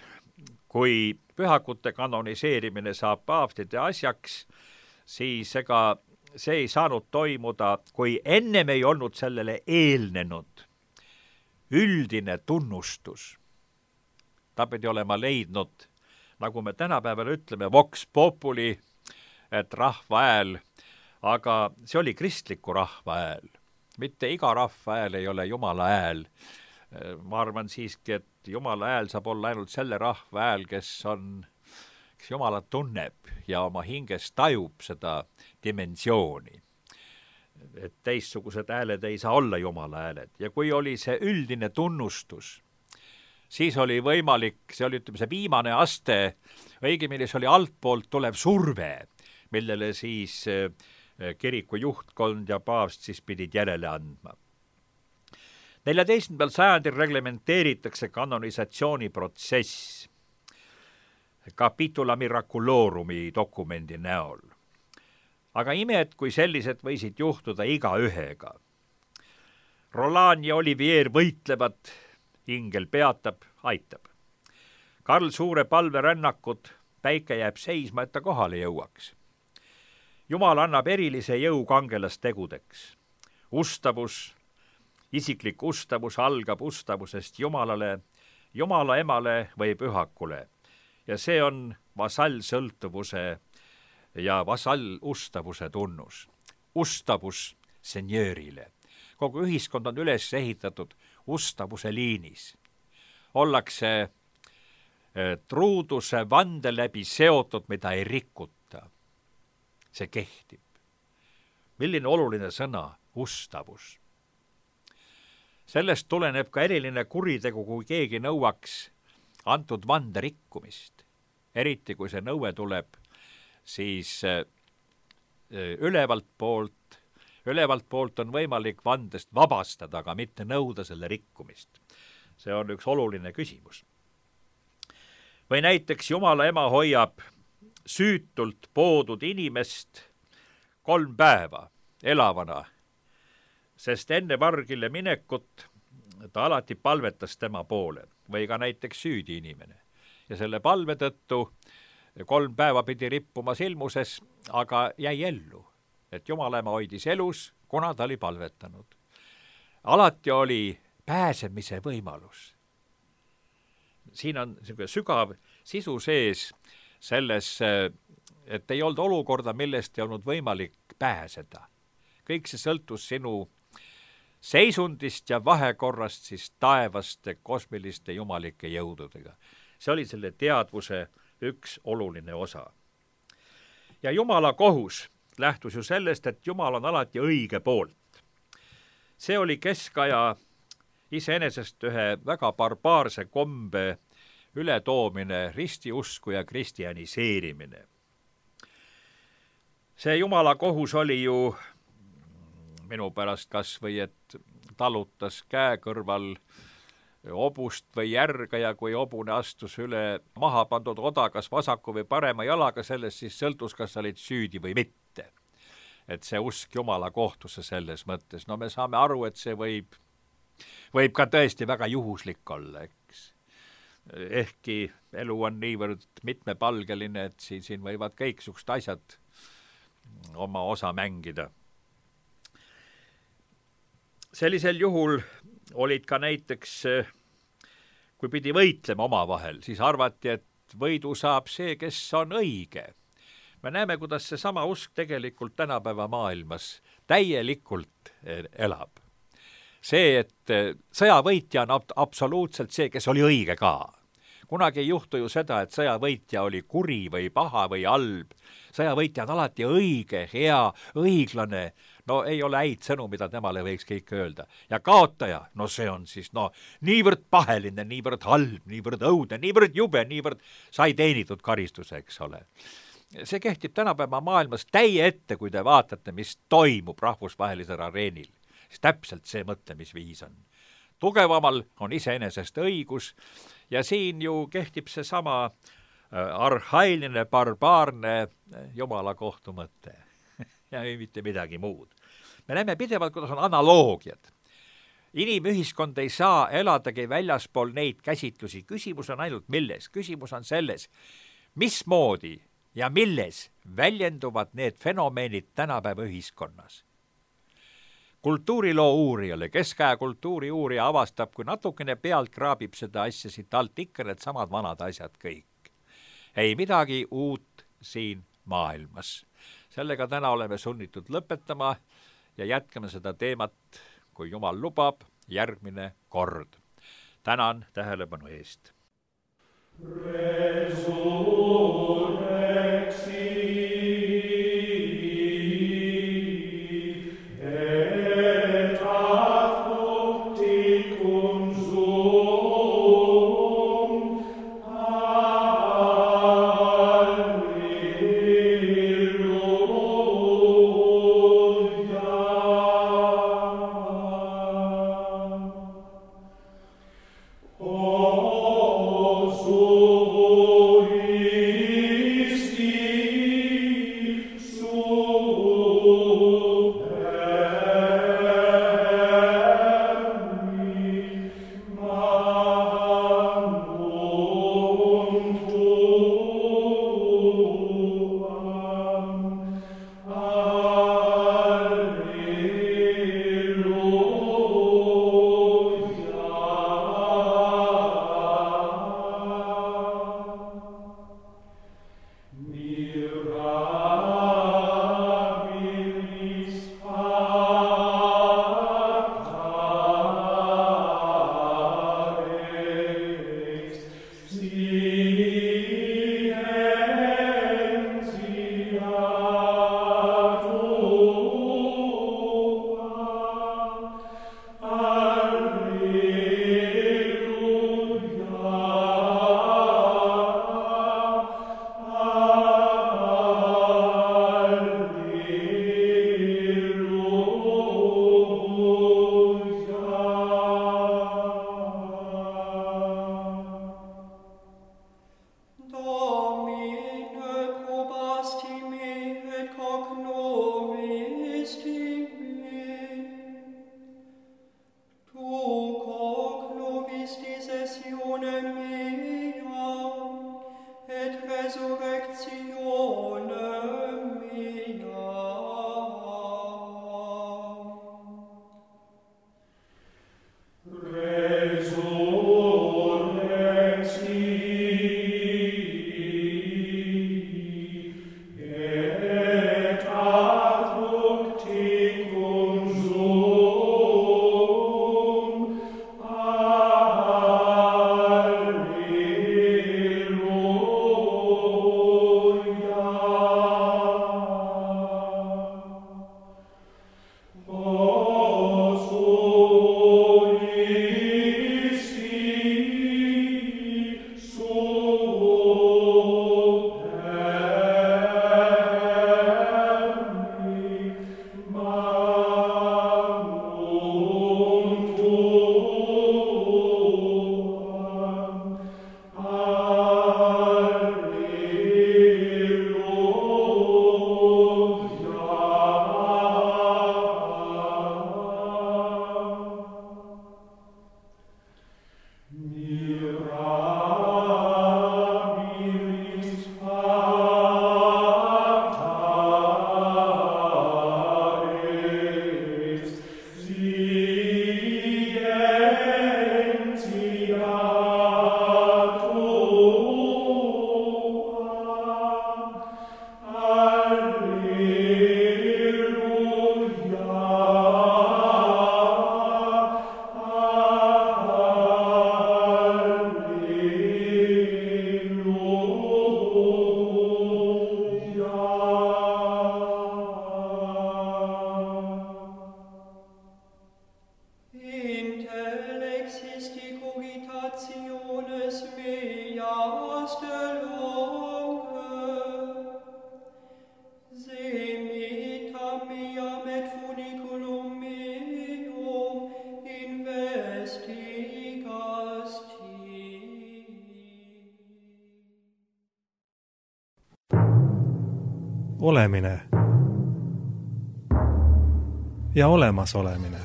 kui pühakute kanoniseerimine saab paavstide asjaks, siis ega see ei saanud toimuda, kui ennem ei olnud sellele eelnenud üldine tunnustus. Ta pidi olema leidnud, nagu me tänapäeval ütleme, vox populi, et rahva hääl, aga see oli kristliku rahva hääl. Mitte iga rahva hääl ei ole Jumala hääl. Ma arvan siiski, et Jumala hääl saab olla ainult selle rahva hääl, kes on, kes Jumalat tunneb ja oma hinges tajub seda dimensiooni. Et teistsugused hääled ei saa olla Jumala hääled. Ja kui oli see üldine tunnustus, siis oli võimalik, see oli ütleme see viimane aste, õigemini see oli altpoolt tulev surve, millele siis kiriku juhtkond ja paavst siis pidid järele andma. neljateistkümnendal sajandil reglementeeritakse kanonisatsiooniprotsess Capitula Miraculorumi dokumendi näol. aga imed, kui sellised võisid juhtuda igaühega. Roland ja Olivier võitlevad, ingel peatab, aitab. Karl Suure palverännakud, päike jääb seisma, et ta kohale jõuaks. Jumal annab erilise jõu kangelastegudeks. Ustavus, isiklik ustavus algab ustavusest Jumalale, Jumala emale või pühakule. Ja see on vasallsõltuvuse ja vasallustavuse tunnus. Ustavus senjöörile. Kogu ühiskond on üles ehitatud ustavuse liinis. Ollakse truuduse vande läbi seotud, mida ei rikuta. See kehtib. Milline oluline sõna? Ustavus. Sellest tuleneb ka eriline kuritegu, kui keegi nõuaks antud vande rikkumist. Eriti kui see nõue tuleb, siis ülevalt poolt, ülevalt poolt on võimalik vandest vabastada, aga mitte nõuda selle rikkumist. See on üks oluline küsimus. Või näiteks Jumala ema hoiab süütult poodud inimest kolm päeva elavana, sest enne vargile minekut ta alati palvetas tema poole või ka näiteks süüdi inimene. Ja selle palve tõttu kolm päeva pidi rippuma silmuses, aga jäi ellu, et Jumala ema hoidis elus, kuna ta oli palvetanud. Alati oli pääsemise võimalus. Siin on sügav sisu sees selles, et ei olnud olukorda, millest ei olnud võimalik pääseda. Kõik see sõltus sinu seisundist ja vahekorrast siis taevaste kosmiliste jumalike jõududega. See oli selle teadvuse üks oluline osa. Ja Jumala kohus lähtus ju sellest, et Jumal on alati õige poolt. See oli keskaja iseenesest ühe väga barbaarse kombe ületoomine, ristiusku ja kristianiseerimine. See Jumala kohus oli ju minu pärast kas või, et talutas käe kõrval obust või järga ja kui obune astus üle maha pandud oda, kas vasaku või parema jalaga, sellest siis sõltus, kas sa olid süüdi või mitte. Et see usk Jumala kohtusse selles mõttes. No me saame aru, et see võib, võib ka tõesti väga juhuslik olla, eks. Ehkki elu on niivõrd mitmepalgeline, et siin, siin võivad kõiksugused asjad oma osa mängida. Sellisel juhul olid ka näiteks, kui pidi võitlema omavahel, siis arvati, et võidu saab see, kes on õige. Me näeme, kuidas see sama usk tegelikult tänapäeva maailmas täielikult elab. See, et sõjavõitja on absoluutselt see, kes oli õige ka. Kunagi ei juhtu ju seda, et sõjavõitja oli kuri või paha või halb. Sõjavõitja on alati õige, hea, õiglane. No ei ole häid sõnu, mida temale võiks kõik öelda. Ja kaotaja, no see on siis no niivõrd paheline, niivõrd halb, niivõrd õudne, niivõrd jube, niivõrd sai teenitud karistuse, eks ole. See kehtib tänapäeva maailmas täie ette, kui te vaatate, mis toimub rahvusvahelisel areenil. Siis täpselt see mõtlemisviis on. Tugevamal on iseenesest õigus ja siin ju kehtib see sama arhailine, barbaarne Jumala kohtu mõte. Ja ei mitte midagi muud. Me näeme pidevalt, kuidas on analoogiad. Inimühiskond ei saa eladagi väljaspool neid käsitlusi. Küsimus on ainult milles. Küsimus on selles, mismoodi ja milles väljenduvad need fenomeenid tänapäeva ühiskonnas. Kultuuriloo uurijale, keskaja kultuuri uurija avastab, kui natukene pealt kraabib seda asja siit alt ikka need samad vanad asjad kõik. Ei midagi uut siin maailmas. Sellega täna oleme sunnitud lõpetama ja jätkame seda teemat, kui Jumal lubab, järgmine kord. Tänan tähelepanu eest. Olemine ja olemasolemine.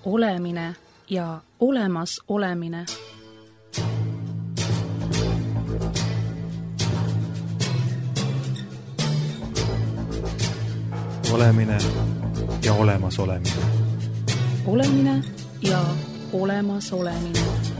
Olemine ja olemas olemine. Olemine ja olemas olemine. Olemine ja olemas olemine.